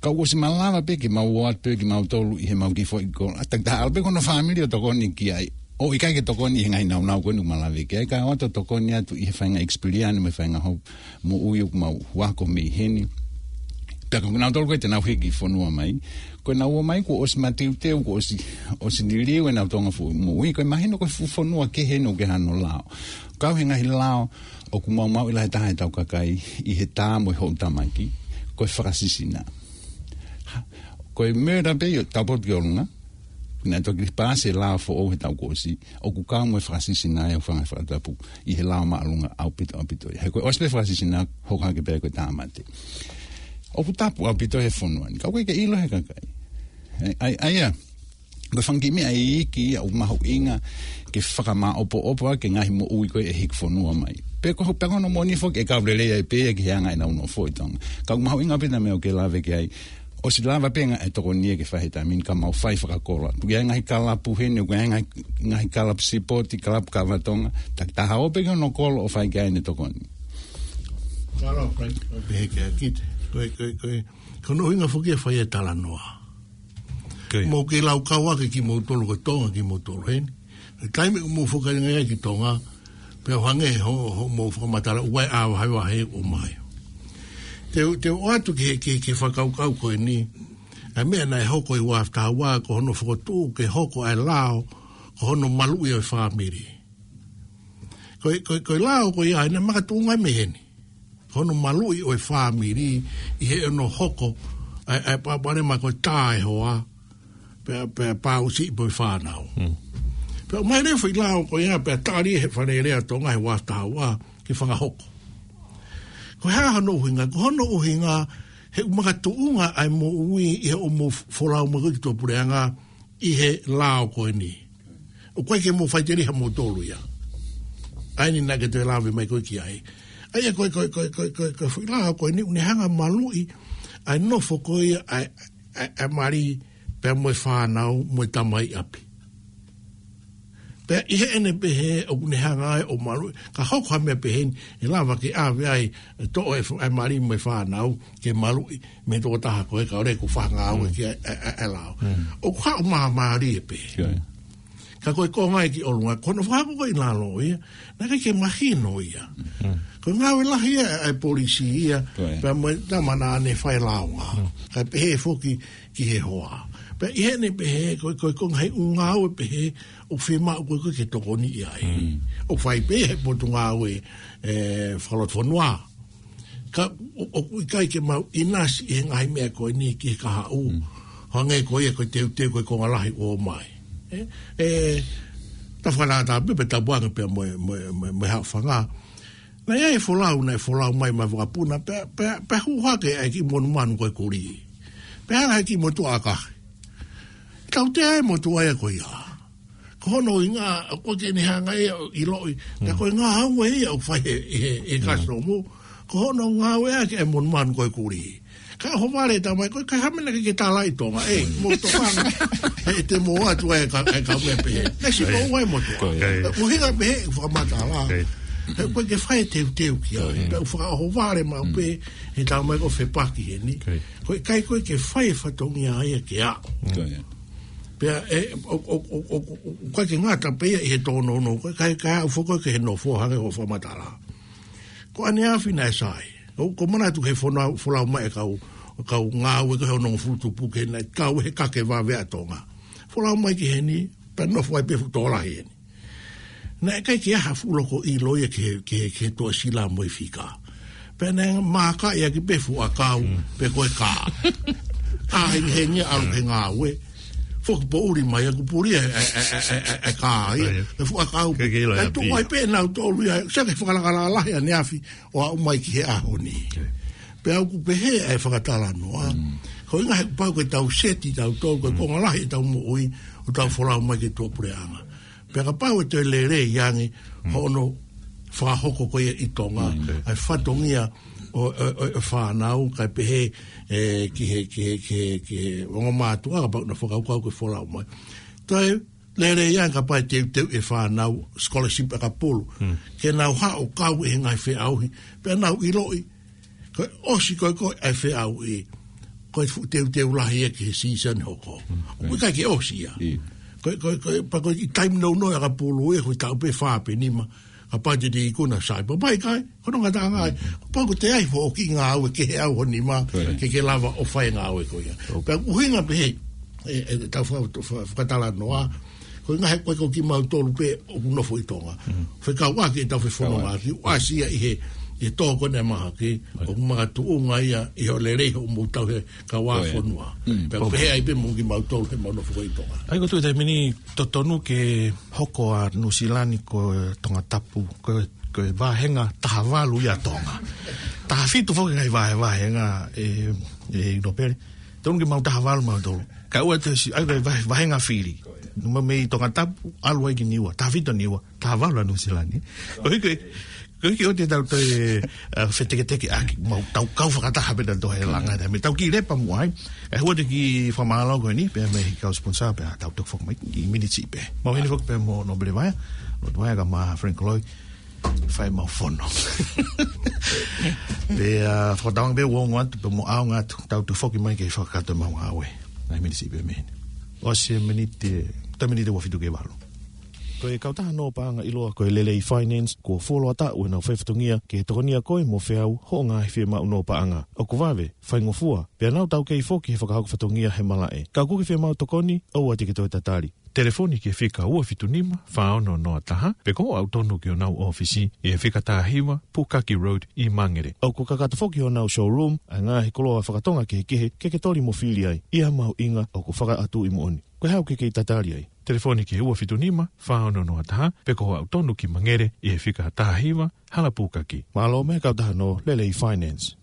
Ka ʻosi malava pē ke mau ō atu pē kimautolu ʻi he mau kiʻi foʻi kolo. ʻA, takitaha ʻalu pē ko hono fāmili ʻo tokoni ki ai. ʻOku ʻikai ke tokoni ʻi he ngaahi naunau ko eni ʻoku malava ki ai. Ka ʻoatu tokoni atu ʻi he faʻahinga experience mo e faʻahinga hopo moʻui ʻoku mau ako mei heni. Pea ko kinautolu ko ē te nau hiki fonua mai. Ko ʻenau ō mai kuo ʻosi mateuteu, kuo ʻosi, ʻosi liliu ʻenau Tonga foʻi moʻui. Ko e mahino ko e fuʻu fonua kehe eni ʻoku ʻi ai hano lao. Kau he ngaahi lao ʻoku maumauʻi lahi taha ʻetau kakai ʻi he tā mo e hoʻo tamaki, ko e fakasisina. Ko e murder pē ʻi he tau potu ki ʻolunga, naʻe toki paasi e lao foʻou he taʻu kuo ʻosi, ʻoku kau mo e fakasisina ʻa e fanga fakatapu ʻi he lao māʻolunga ʻaupito, ʻaupito. He ko e ʻosi pē fakasisina, hoko hake pē ko e tāmate. ʻOku tapu ʻaupito he fonua ni, ka ʻoku ʻikai ke ʻilo he kakai. ʻAi, ʻai, ʻai, ia. Ko e fanga kiʻi meʻa iiki ia ʻoku mahuʻinga ke fakamāʻopoʻopo ʻaki e ngaahi moʻui ko ē ʻe hiki fonua mai. Pe ko, pe ko hono moʻoni foki ʻe kau lelei ai pē ia ki he anga ʻenau nofo ʻi Tonga. Ka ʻoku mahuʻinga pē ʻena meʻa ʻoku ke lave ki ai. ʻOsi lava pē ngaahi tokoni ia ke fai he taimi ni ka mau fai fakakolo. Tuku ia ngaahi kalapu heni, ʻoku ʻi ai ngaahi, ngaahi kalapu sipoti, kalapu kava Tonga. Takitaha ō pē ki hono kolo ʻo fai ki ai ʻene tokoni. Kalo, kai, kai, pehē kia kita. Ko e, ko e, ko e, ko hono ʻuhinga foki ʻa e fai e talanoa. Ko ia. Mou kei laukau ʻaki kimoutolu ko Tonga kimoutolu heni. Taimi ʻoku mou fakainga ai ki Tonga, pea ʻoku hangē ho, hoʻomou fakamatala ʻoku ʻi ai ʻa e vahevahe ʻoku ʻomai. Te u, te u ʻoatu ki he, ki he, ki he fakakaukau ko eni, ʻa e meʻa naʻe hoko ʻi he ua afe taha ua, ko hono fokotuʻu ke hoko ʻa e lao, ko hono maluʻi ʻo e fāmili. Ko e, ko e, ko e lao ko ia, naʻe makatuʻunga mei heni. Ko hono maluʻi ʻo e fāmili, ʻi heʻene hoko, ʻa e, ʻa e palopalema ko e tā e hoa, pea, pea pāusiʻi pē ʻa e fānau. Mm. Pea ʻomai leva e foʻi lao ko ia, pea tali he Fale Alea ʻo Tonga he ua afe taha ua, ke fakahoko. Ko e hā hono ʻuhinga, ko hono ʻuhinga, he ʻoku makatuʻunga ʻa e moʻui, ʻi heʻemou folau mai ko ē ki tuʻapuleʻanga, ʻi he lao ko eni. ʻOku ʻikai ke mou faʻiteliha moutolu ia. ʻA eni naʻa ke toe lave mai ko ē ki ai. ʻA ia ko e, ko e, ko e, ko e, ko e, ko e foʻi lao ko eni, ʻoku ne hanga ʻo maluʻi, ʻa e nofo ko ia, ʻa e, ʻa e, ʻa e mali, pea mo e fānau, mo e tamai ʻapi. Pea ʻi heʻene pehē, ʻoku ne hanga ai ʻo maluʻi, ka hoko ha meʻa pehē ni, ʻe lava ke ʻave ai, ʻe toʻo e f-, ʻa e mali mo e fānau, ke maluʻi, mei he tokotaha ko ē ka ʻoku ʻikai ko ha ngāue Mm. ki ai, ʻa e, ʻa e, ʻa e lao. Mm. ʻOku haʻu māmālie pē. Ko ia. Ka ko e konga ia ki ʻolunga, ko hono fakahoko ko ē ʻi lalo ia, naʻe ʻikai ke mahino ia. Mm. Ko e ngāue lahi ia, ʻa e polisi ia, Ko ia. pea mo e tama naʻa ne fai e lao nga. Mm. Kae pehē foki ki he hoa. Pea ʻi heʻene pehē, ko e, ko e, ko e ngaahi ʻū ngāue pehē, ʻoku fiemaʻu ko ē ko ē ke tokoniʻi ai. Mm. ʻOku fai pē he potungāue, ʻe, fakalotofonua. Ka ʻo, ʻoku ʻikai ke mau ʻinasi he ngaahi meʻa ko eni ki he kahaʻu. Mm. Hangē ko ia ko e teuteu ko e konga lahi ʻoku ʻomai. ʻE, ʻe, ta whakatā pē, pea tapu ange pea mo e, mo e, mo e, mo e Haʻofanga. Naʻe ʻi ai e folau, naʻe folau mai mei he vakapuna, pea, pea, pea hū hake ʻa e kiʻi monumanu ko e kulī. Pea hanga ʻe he kiʻi motuʻa ʻakahi. Tautea e motuʻa ia ko ia. Ko hono ʻuhinga, ʻoku ʻikai ke ne hanga ia ʻo ʻiloʻi. Ka Mm. ko e ngāue ia ʻoku fai he, he, he Mm. kasitomu. Ko hono ngāueʻaki e monumanu ko e kulī. Ka ʻohovale e tamai ko ē, ʻikai ha meʻa naʻa ke talaʻi Tonga. ʻE, mou tokanga. ʻE, te mou ʻoatu e ka, e ka meʻa pehē. Naʻe siʻi Ko ia. ko ua e motuʻa. Ko ia. ʻUhinga pehē, fakamatala. Ko ia. He ʻoku ʻikai ke fai e teuteu ki ai. Ko ia. Pea ʻoku fakaʻohovale maʻu Mm. pē, he tamai ko ē ʻoku fepaki heni. Ko ia. ʻOku ʻikai ko ē ke fai e fatongia ia ke aʻu. Ko ia. Pea, ʻe, ʻo, ʻo, ʻoku ʻikai ke ngata pē ia ʻi he tōnounou, ko e ʻikai, ʻikai aʻu foki ki he nofo hangē ko hoʻo fakamatala. Ko ʻaneafi naʻe sai. ʻOku ou manatu ki he folau, folau mai e kau, kau ngāue ko ē hono fulutupu ke naʻe kau he kake vave ʻa Tonga. Folau mai ki heni, pea nofo ai pē fuʻu tokolahi heni. Naʻe ʻikai ke ʻi ai ha fuʻu loko ʻilo ia ki he, ki he, ki he tuʻasila mo e fika. Pea naʻe mākaʻi ʻaki pē fuʻu ʻakau, Mm. pe ko e kā. ʻA, hengihengi ʻalu ki he ngāue. Foki poʻuli mai ʻoku puli e, e, e kā ia. Ko ia. E fuʻu ʻakau. Ke ke ʻilo e Naʻe tuʻu ʻapi. ai pē nautolu ia. Sai ke fakalakalaka lahi ʻaneafi ʻo aʻu mai ki he ʻaho ni. Pea ʻoku pehē ʻa e fakatalanoa. Mm. Ko e ʻuhinga he kuo pau ke tau seti tautolu, ko e Mm. konga lahi ʻetau moʻui, ʻo tau folau mai ki tuʻapuleʻanga. Pea kapau ʻe toe lelei ange, Mm. hono fakahoko ko ia ʻi Tonga. Mm. ʻA e fatongia ʻo, ʻo, ʻo, ʻo e fānau, kae pehē, ē, ki he, ki he, ki he, ki he ongo mātuʻa, kapau naʻa nau fakakaukau ke folau mai. Toe lelei ange kapau ʻe teuteu e fānau scholarship ʻakapulu. Mm. Ke nau haʻu ʻo kau ʻi he ngaahi feʻauhi. Pea nau ʻiloʻi, ko e ʻosi ko ē ko ē ʻa e feʻauhi, ko e fuʻu teuteu lahi ia ki he season hoko. Mm. ʻOku ʻikai ke ʻosi ia. ʻIo. Ko e, ko e, ko e, pea ko e taimi nounou ʻakapulu ia, ko e taʻu pē fā pe nima, kapau te te ikuna sai. Pea ʻikai, ko hono ngataʻanga ia. Mm. Kapau ko ʻete ʻai foki ngāue kehe ʻaho nima, Correct. ke ke lava ʻo fai ngāue ko ia. Correct. Pea ʻuhinga pē he, ē, ē, tau fa-, fa-, fakatalanoa, ko e ngaahi ko ē ko kimautolu pē ʻoku nofo ʻi Tonga. Mm. Fekauʻaki ʻetau fefonongaʻaki, Fekauʻaki. ʻoku ʻasi ia ʻi he, ʻi he tō ko ē ʻa e mahaki, Right. ʻoku makatuʻunga ia ʻi hoʻo lelei hoʻomou tauhi e kau Ko ia. fonua. Mm. Pea Ko pehē ai pē mo kimautolu he mau nofo ko ē ʻi Tonga. ʻA ia ko e tuʻu he taimi ni totonu ke hoko ʻa Nuʻusila ni ko e Tongatapu, ko e, ko e vāhenga taha valu ia ʻo Tonga. Taha fitu foki ngaahi vahe-, vāhenga ē, ē, ʻi Nōpele. Tonu ke mau taha valu mautolu. Kae ʻoua te si, ʻa ia ko e vahe-, vāhenga fili. Numa mei Tongatapu, ʻalu ai ki Niua. Taha fitu Niua, taha valu ʻa Nuʻusila ni. Ko e hiki, ko e hiki ʻo te tau toe, ē, feteketeke ʻaki, mau tau kau fakataha pē tautolu he langa, Mm. te me tau kiʻi lepa muʻa ai. ʻE, ʻoatu e kiʻi fakamālō ko eni, pea mei he kau sponsor, pea tau toki foki mai, ʻi miniti pē. Mau ʻi heni foki pea mo Nōpele Vaea, Lotu Vaea kae ʻumaʻā Frank Koloi, fai mau fono. Pea, ā, fakatauange pē ʻoku ongo atu, pea mo ʻaonga atu, tau toki foki mai ke fakakakato ʻemau ngāue. Ngaahi miniti pē mei heni. ʻOsi e miniti, toe miniti ua fitu ki he valu. Ko e kautaha nō paʻanga ʻiloa ko e Lelei Finance, kuo fuoloa taʻu ʻenau faifatongia ke tokonia koe mo feau hoʻo ngaahi fiemaʻu nō paʻanga. ʻOku vave, faingofua, pea nau taukei foki he fakahoko fatongia he malaʻe. Ka ʻoku ke fiemaʻu tokoni, ʻoua te ke toe tatali. Telefoni ki he fika ua fitu nima, fā ono noa taha, pe ko hoʻo aʻu tonu ki honau ʻōfisi, ʻi he fika taha hiva, Pukaki Road, ʻi Mangere. ʻOku kakato foki honau showroom, ʻa e ngaahi koloa fakatonga kehekehe, ke ke toli mo fili ai, ʻi ha mahuʻinga ʻoku fakaʻatu ʻi moʻoni. Ko e hā ʻoku ke kei tatali ai? Telefoni ki he ua fitu nima, fā ono noa taha, pe ko hoʻo aʻu tonu ki Mangere, ʻi he fika taha hiva, Hala Pukaki. Mālō mo e kautaha nō Lelei Finance.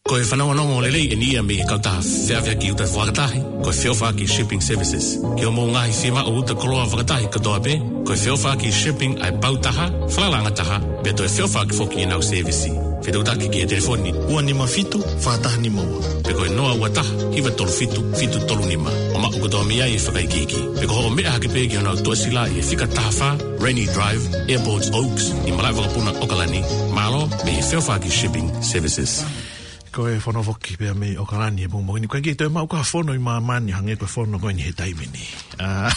Ko e fanongonongo lelei eni ia mei he kautaha feʻaveʻaki uta fakatahi, ko e Feʻofaʻaki Shipping Services. Ki hoʻomou ngaahi fiemaʻu uta koloa fakatahi kotoa pē, ko e Feʻofaʻaki Shipping ʻa e pau taha, falalaʻanga taha, pea toe feʻofaʻaki foki ʻenau sēvisi. Fetuʻutaki ki he telefoni ua nima fitu, fā taha nima ua. Pe ko e noa ua taha, hiva tolu fitu, fitu tolu nima. ʻO maʻu kotoa mei ai e fakaikiiki. Pe ko hoʻo meʻa hake pē ki honau tuʻasila ʻi he fika taha fā, Rainy Drive, Airport Oaks, ʻi malaʻe vakapuna ʻOkalani. Mālō, mei he Feʻofaʻaki Shipping Services. Ko e fono foki pea mei ʻOkalani he pongipongi ni. ʻOku ʻikai ke toe maʻu ha fono ʻi māmani hangē ko e fono ko eni he taimi ni. Ā,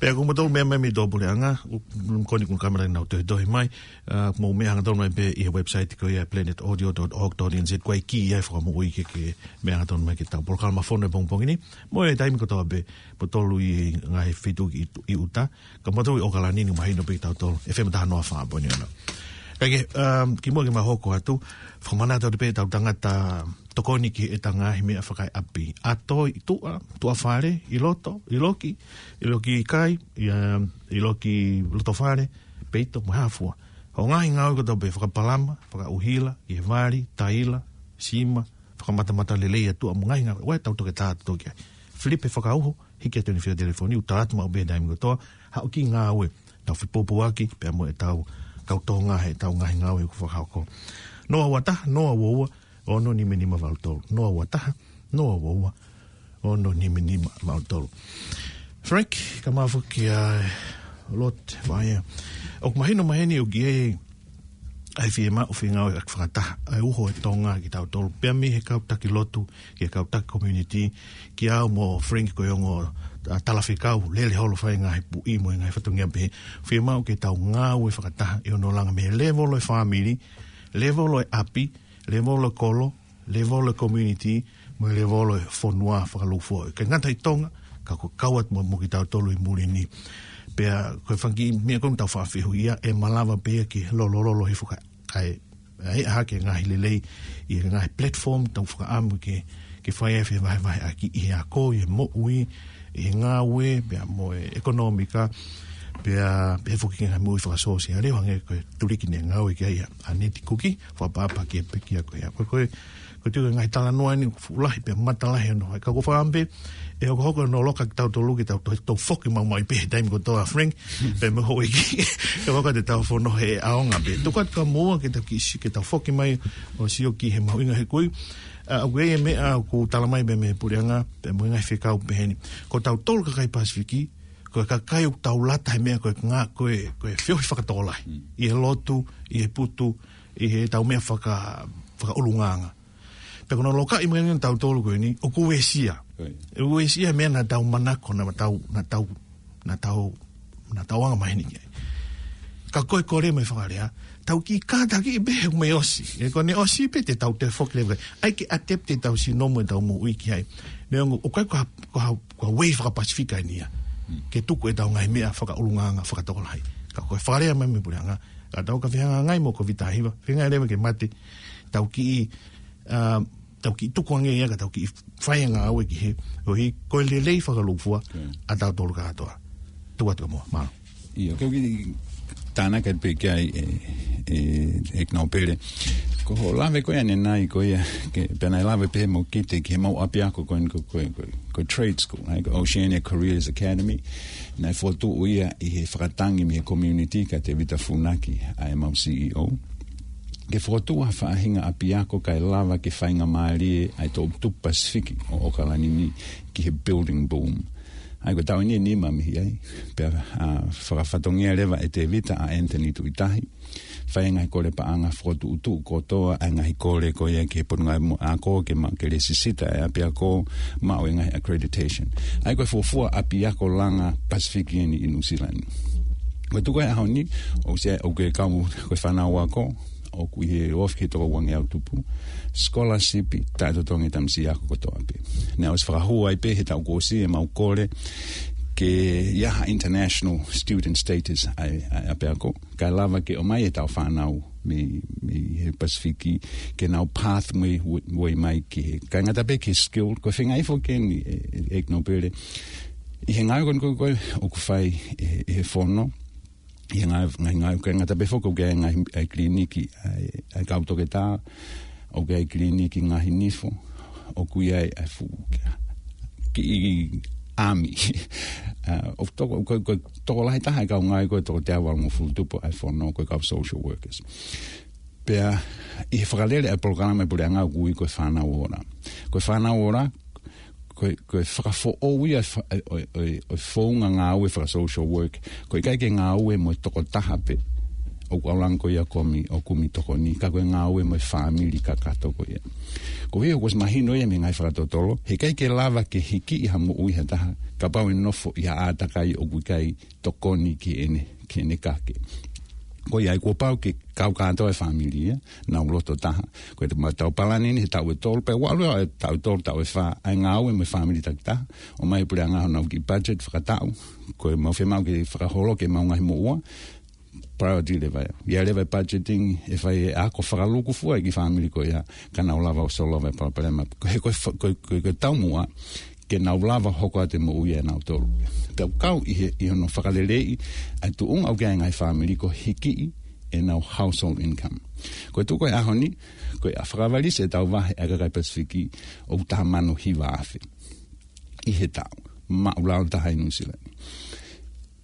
pea ko moutolu meʻa mai mei tuʻapuleʻanga, ʻoku, ʻoku ou tui ko e kamera ʻenau tohitohi mai, ā, mou meʻa hangatonu mai pē ʻi he website ko ia planet audio dot org dot N Z, ko e kī ia ʻe fakamoʻui ke, ke meʻa hangatonu mai ki heʻetau polokalama fono he pongipongi ni. Mo e taimi kotoa pē, moutolu ʻi he ngaahi feituʻu ʻi, ʻi ʻuta, ka moutolu ʻi ʻOkalani ni mahino pē kitautolu, F M taha noa fā poini ono. Kae kehe, um, kimuʻa ke mau hoko atu, fakamanatu atu pē ʻetau tangata tokoni ki heʻetau ngaahi meʻa fakaeʻapi. ʻAto ʻi tuʻa, tuʻa fale, ʻi loto, ʻi loki, ʻi loki kai, ʻi, um, ʻi loki loto fale, peito, mo e hā fua. Hoʻo ngaahi ngāue kotoa pē, fakapalama, fakaʻuhila, ʻi he vali, taila, sima, fakamatamata lelei ʻa tuʻa mo e ngaahi ngāue, ʻoua ʻe tau toke tā toke ai. Filipe fakauho, hiki atu eni fia telefoni, ʻo tala atu maʻu pē he taimi kotoa, haʻu ki ngāue, tau fepōpōaki, pea mo ʻetau kau Tonga heʻetau ngaahi ngāue ʻoku fakahoko. Noa ua taha, noa ua ua, ono nima nima valu tolu. Noa ua taha, noa ua ua, ono nima nima valu tolu. Frank, kae ʻumaʻā foki ʻa Lotu Vaea. ʻOku mahino mai heni ʻoku ʻi ai ʻa e fiemaʻu fengāueʻaki fakataha, ʻa e uho ʻo Tonga kitautolu, pea mei he kau taki lotu, ki he kau taki community, kia au mo Frank ko e ongo, ā, talafekau, lele holo fai ngaahi puʻi mo e ngaahi fatongia pehē. Fiemaʻu ke tau ngāue fakataha ʻi hono langa mei he lēvolo ʻo e fāmili, lēvolo ʻo e ʻapi, lēvolo ʻo e kolo, lēvolo ʻo e community, mo e lēvolo ʻo e fonua fakalūkufua. ʻIkai ngata ʻi Tonga, ka ko e kau atu mo, mo kitautolu ʻi muli ni. Pea ko e fanga kiʻi meʻa ko ē ʻoku tau faʻa fehuʻia, ʻe malava pē ia ke lolololo hifo kae, kae ʻai hake ngaahi lelei ʻi he ngaahi platform tau fakaʻamu ke, ke fai ai e fevahevaheʻaki ʻi he ako, ʻi he moʻui, ʻi he ngāue, pea mo e ʻekonōmika. Pea, pea foki ki he ngaahi moʻui fakasōsiale, hangē ko e tuliki ne ngāue ki ai ʻa Neti Kuki, fakaʻapaʻapa ki he pekia ko ia. Ko e, ko e, ko e tuʻu e ngaahi talanoa ni, fuʻu lahi pea matalahi ʻo noho. Ka ko e fakaʻamu pē, ʻe hokohoko ʻenau loka kitautolu ke tau, tau, tau foki maumauʻi pē he taimi kotoa, Frank, pea mo e houʻeiki. ʻE hokohoko ʻetau fono he ʻaonga pē. Tuku atu kia moua ke tau kiʻi si-, ke tau foki mai ʻo sio ki he mahuʻinga he kui. ʻA, ʻoku ʻi ai e meʻa ʻoku tala mai pē mei he puleʻanga, pea mo e ngaahi fekau pehē ni. Ko tautolu kakai Pasifiki, ko e kakai ʻoku tau lata he meʻa ko e ngā-, ko e, ko e feohi fakatokolahi. Mm. ʻI he lotu, ʻi he putu, ʻi heʻetau meʻa faka-, fakaʻulungaanga. Pea ko hono lokaʻi mai ʻeni ʻo tautolu ko eni, ʻoku uesia. Ko ia. ʻOku uesia he meʻa naʻa tau manako, naʻa tau, naʻa tau, naʻa tau, naʻa tau anga maheni ki ai. Ka ko e kole mai fakalea, tau kiʻi kātaki pē he ʻoku mei ʻosi. ʻE ko ʻene ʻosi pē te tau toe foki leva. ʻAi ke ʻatepite ʻetau sino mo ʻetau moʻui ki ai. Neongo, ʻoku ʻikai ko ha, ko ha, ko ha uei fakapasifika eni ia. Mm. Ke tuku ʻetau ngaahi meʻa fakaʻulungaanga fakatokolahi. Ka ko e fakalea mai mei he puleʻanga, ka tau ka fehangahangai mo e Kōviti taha hiva, feinga leva ke mate, tau kiʻi, ā, tau kiʻi tuku ange ia ka tau kiʻi fai ngāue ki he, ʻoku ʻi ai ko e lelei fakalūkufua, mm, ʻa tautolu kātoa. Tuku atu kia moua, mālō. ʻIo, ke u kiʻi tānaki pē ki ai, ʻe, ʻe, ʻEiki Nōpele. Ko hoʻo lave ko ia ʻanenai ko ia, ke, pea naʻe lave pē mo Kite ki he mau ʻapiako ko eni ko, ko, ko, ko e trade school, ʻa ia ko e Oceania Careers Academy. Naʻe fokotuʻu ia ʻi he fakatangi mei he community kia Tevita Funaki, ʻa e mau C E O. Ke fokotuʻu ha faʻahinga ʻapiako kae lava ke faingamālie ai toʻutupu Pasifiki ʻo ʻAokalani ni ki he building boom. ʻA ia ko e taʻu eni ʻe nima mei ai, pea, ā, fakafatongia leva ʻe Tevita ʻa Anthony Tuʻitahi. Fai e ngaahi kole paʻanga fokotuʻutuʻu kotoa ʻa e ngaahi kole ko ia ki he Potungāue mo e Ako ke ma-, ke lēsisita e ʻapiako, maʻu e ngaahi accreditation. ʻA ia ko e fuofua ʻapiako langa Pasifiki eni ʻi Nuʻu Sila ni. Ko e tuʻu ko ē ʻaho ni, ʻoku ʻi ai, ʻoku kau ko e fānau ako, ʻoku ʻi he ofi ki he toko uangeau tupu, scholarship taʻetotongi e tamasiʻi ako kotoa pē. Naʻe ʻosi fakahū ai pē he taʻu kuo ʻosi ʻemau kole ke ʻi ai ha international student status ʻa e, ʻa e ʻapiako. Kae lava ke ʻomai ʻetau fānau mei, mei he Pasifiki ke nau pathway, way mai ki he. Kae ngata pē ki he skill, ko e feinga foki eni ʻe, ʻe, ʻEiki Nōpele. ʻI he ngāue ko eni ko ē ʻoku fai ʻe, ʻe he fono, ʻi he ngaahi, ngaahi, ngaahi, kae ngata pē foki ʻoku ʻi ai e ngaahi, ʻa e kiliniki, ʻa e, ʻa e kau toketā, ʻoku ʻi ai e kiliniki ngaahi nifo, ʻoku ʻi ai e fuʻu kiʻi ʻami. Ā, ʻoku toko, ko, ko e tokolahi taha e kau ngāue ko ē toko teau valungofulu tupu ʻa e fono ko e kau social workers. Pea ʻi he fakalele ʻa e polokalama ʻa e puleʻanga ʻoku ui ko e Fānau Ola. Ko e Fānau Ola, ko e, ko e fakafoʻou ia ʻo e fa-, ʻo e, ʻo e, ʻo e, ʻo e founga ngāue faka-social work. Ko e ʻikai ke ngāue mo e tokotaha pē ʻoku ʻalu ange ko ia ʻo kumi, ʻo kumi tokoni, ka ko e ngāue mo e fāmili kakato ko ia. Koeʻuhi ʻoku ʻosi mahino ia mei he ngaahi fakatotolo, he ʻikai ke lava ke hikiʻi ha moʻui ha taha kapau ʻe nofo ʻi ha ʻātakai ʻoku ʻikai tokoni ki heʻene, ki heʻene kake. Ko ia ai kuo pau ke kau kātoa e fāmili ia, nau loto taha. Ko e te ma tau palani ni he taʻu ʻe tolu, pea ʻoku ʻalu ʻa e taʻu ʻe tolu, taʻu ʻe fā, ʻa e ngāue mo e fāmili takitaha, ʻomai e puleʻanga honau kiʻi budget fakataʻu, ko e mau fiemaʻu ke fakaholo ki he mau ngaahi moʻua, priority leva ia. ʻI ai leva e budgeting, ʻe fai e ako fakalūkufua e kiʻi fāmili ko ia, ka nau lava ʻo solova e palopalema. Ko e, ko e fa-, ko e, ko e, ko e taumuʻa, ke nau lava hoko atu e moʻui ʻanautolu. Pea ʻoku kau ʻi he, ʻi hono fakaleleiʻi ʻa e tuʻunga ʻoku ʻi ai e ngaahi fāmili ko e hikiʻi ʻenau household income. Ko e tuʻu ko ē ʻaho ni, ko e ʻa fakavalisi ʻetau vahe ʻa e kakai Pasifiki ʻoku taha mano hiva afe ʻi he taʻu. Maʻulalo taha ʻi Nuʻu Sila ni.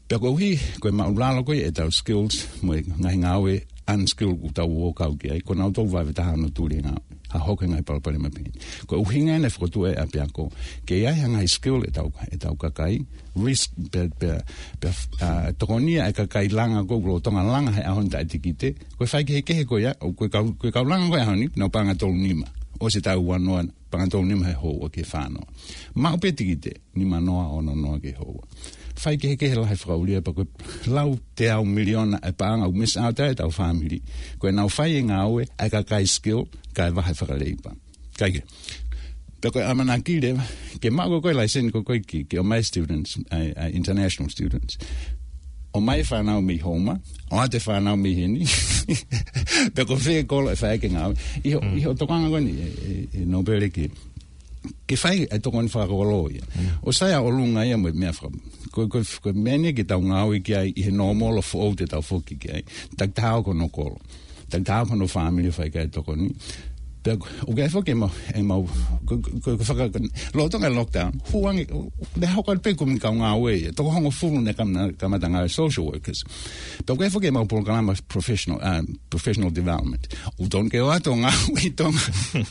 Pea koeʻuhi, ko e maʻulalo ko ē ʻetau skills, mo e ngaahi ngāue unskilled ʻoku tau ō kau ki ai, ko nautolu vave taha hono tuli e ngāue. Ha hoko e ngaahi palopalema pehē ni. Ko e ʻuhinga ena e fokotuʻu e ʻapiako, ke ʻi ai ha ngaahi skill ʻetau, ʻetau kakai, risk, pea, pea, pea, ā, tokonia e kakai langa ko ē, lolotonga langa he ʻaho ni taʻe tikite, ko e faikehekehe ko ia, ʻo ko e kau, ko e kau langa ko ē ʻaho ni, nau paʻanga tolu nima. ʻOsi e taʻu ua noa, paʻanga tolu nima he houa ki he fā noa. Maʻu pē tikite, nima noa, ono noa ki he houa. Faikehekehe lahi fakaʻulia pea ko e lau teau miliona e paʻanga ʻoku miss out ai ʻetau fāmili. Ko ʻenau fai e ngāue, ʻa e kakai skill, kae vahe fakaleipa. Kae kehe. Pea ko e ʻamanaki leva, ke maʻu ko ē ko e laiseni ko ē ko ē ki, ke ʻomai students, ʻa e, ʻa e international students. ʻOmai e fānau mei Houma, ʻoatu e fānau mei heni. Pea ko fē kolo ʻe fai ai e ngāue. ʻI hoʻo, mm, ʻi hoʻo tokanga ko eni, ʻe, ʻe, ʻe Nōpele ke, ke fai e tokoni fakakolo ia. Mm. ʻOsi ia ʻolunga ia mo e meʻa faka-, Ko, ko, ko e meʻa ni ke tau ngāue ki ai ʻi he nōmolo foʻou te tau foki ki ai. Takitaha ko hono kolo. Takitaha ko hono fāmili ʻoku fai ki ai e tokoni. Pea ʻoku ʻi ai foki ʻemau, ʻemau, ko, ko, ko, ko faka-, ko, lolotonga e lockdown, hū ange, naʻe hoko atu pē kumi kau ngāue ia, toko hongofulu naʻe kam-, naʻe kamata ngāue social workers. Pea ʻoku ʻi ai foki ʻemau polokalama professional, um, professional development. ʻOku tonu ke ō atu ʻo ngāue ʻi Tonga.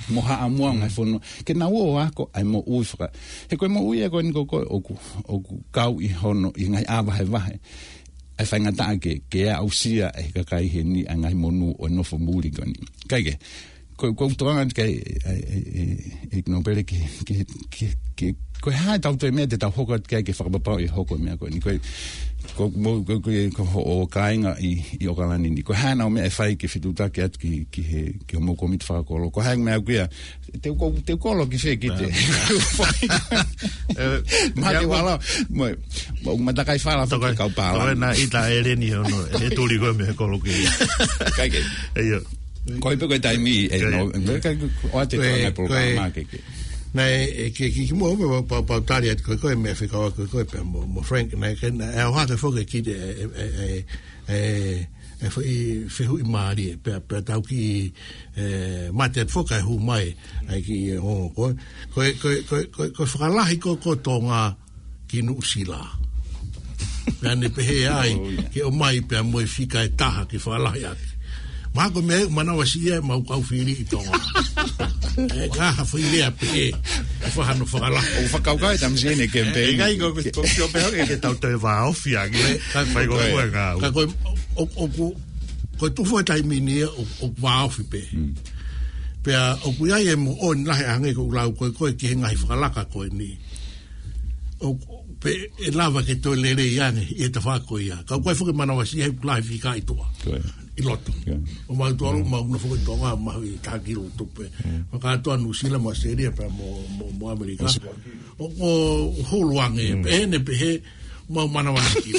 Mo haʻamou ngaahi fonua. Ke nau ō ʻo ako ʻa e moʻui faka-, he ko e moʻui ʻa ko eni ko ē ʻoku, ʻoku kau ʻi hono, ʻi he ngaahi ʻā vahevahe. ʻA e faingataʻa ke, ke aʻusia ʻe he kakai heni ʻa e ngaahi monū ʻo e nofo muli ko eni. Kae kehe, ko, ko e tokanga ke, ʻe, ʻe, ʻe, ʻe Nōpele ke, ke, ke, ke, ko e hā ʻetau toe meʻa te tau hoko atu ki ai ke fakapapauʻi ʻe hoko e meʻa ko eni. Ko, ko, mo, ko, ko, ko hoʻo kāinga ʻi, ʻi ʻOkalani ni. Ko e hā ʻenau meʻa ʻe fai ke fetuʻutaki atu ki, ki he, ki hoʻomou kōmiti fakakolo. Ko e hā e meʻa ʻoku ʻi ai, te u ko, te u kolo ki fē ki te. Ē, Mate ia, wala, mo, mo, matakai fala, toka, faki kau pālangi. Toka na ita eleni hono, e tuli ko e meʻa kolo ki. Kae kehe. ʻIo. Ko e pē ko e taimi, ē, Kae. no, me kai, ʻoatu e Ko e, ngaahi ko e, polokalama ke, ke. Naʻe, e, ke, ke, ke mo, mo, pa, pa, tali atu ko e, ko e meʻa fekauʻaki ko e, ko e pea mo, mo Frank, naʻe, ke, naʻe ʻohake foki ki te, e, e, e, e, e, fe-, fehuʻi mālie, pea, pea tau ki, e, mate foki e hū mai, ai ki, e, o, ko, ko, ko, ko, ko, ko e fakalahi ko, ko Tonga ki Nuʻusila. Pea ne pehē ai, Oh, yeah. ke ʻomai pea mo e fika ʻe taha ke fakalahi ake. Mahalo ko e meʻa ʻoku manavasiʻi ai ʻemau kau fili ʻi Tonga. E ka ha fai lea pehē, e fahano fakalahi. ʻOku fakakaukau e tamasiʻi ni ke E, pei. e kai ko, ko, ko, ko pehē ke, ke tau toe vāofi ange. E, ka Fai ko ko e, ko e ngāue. ka ko e, ʻo, ʻoku, ko e tuʻu foʻi taimi ni ʻo, ʻo vāofi pē. Mm. Pea ʻoku ʻi ai e moʻoni lahi ange ko e lau ko e, ko e ki he ngaahi fakalaka ko eni. ʻO, pe ʻe lava ke toe lelei ange ʻi he tafaʻaki ko ia. Ka ʻoku ʻi ai foki e manavasiʻi he ʻoku lahi fika ʻi tuʻa. Ko e. ʻI loto. Ko e. ʻO mau tuʻa lo Mm. mau na foki Tonga, mau ʻi taki lo tupe. Mm. Fakatoa Nuʻusila mo ʻAositelēlia pea mo, mo, mo ʻAmelika. Ko e. ʻO, ʻo hulu ange, Mm. pehē ne pehē, mau manavasiʻi.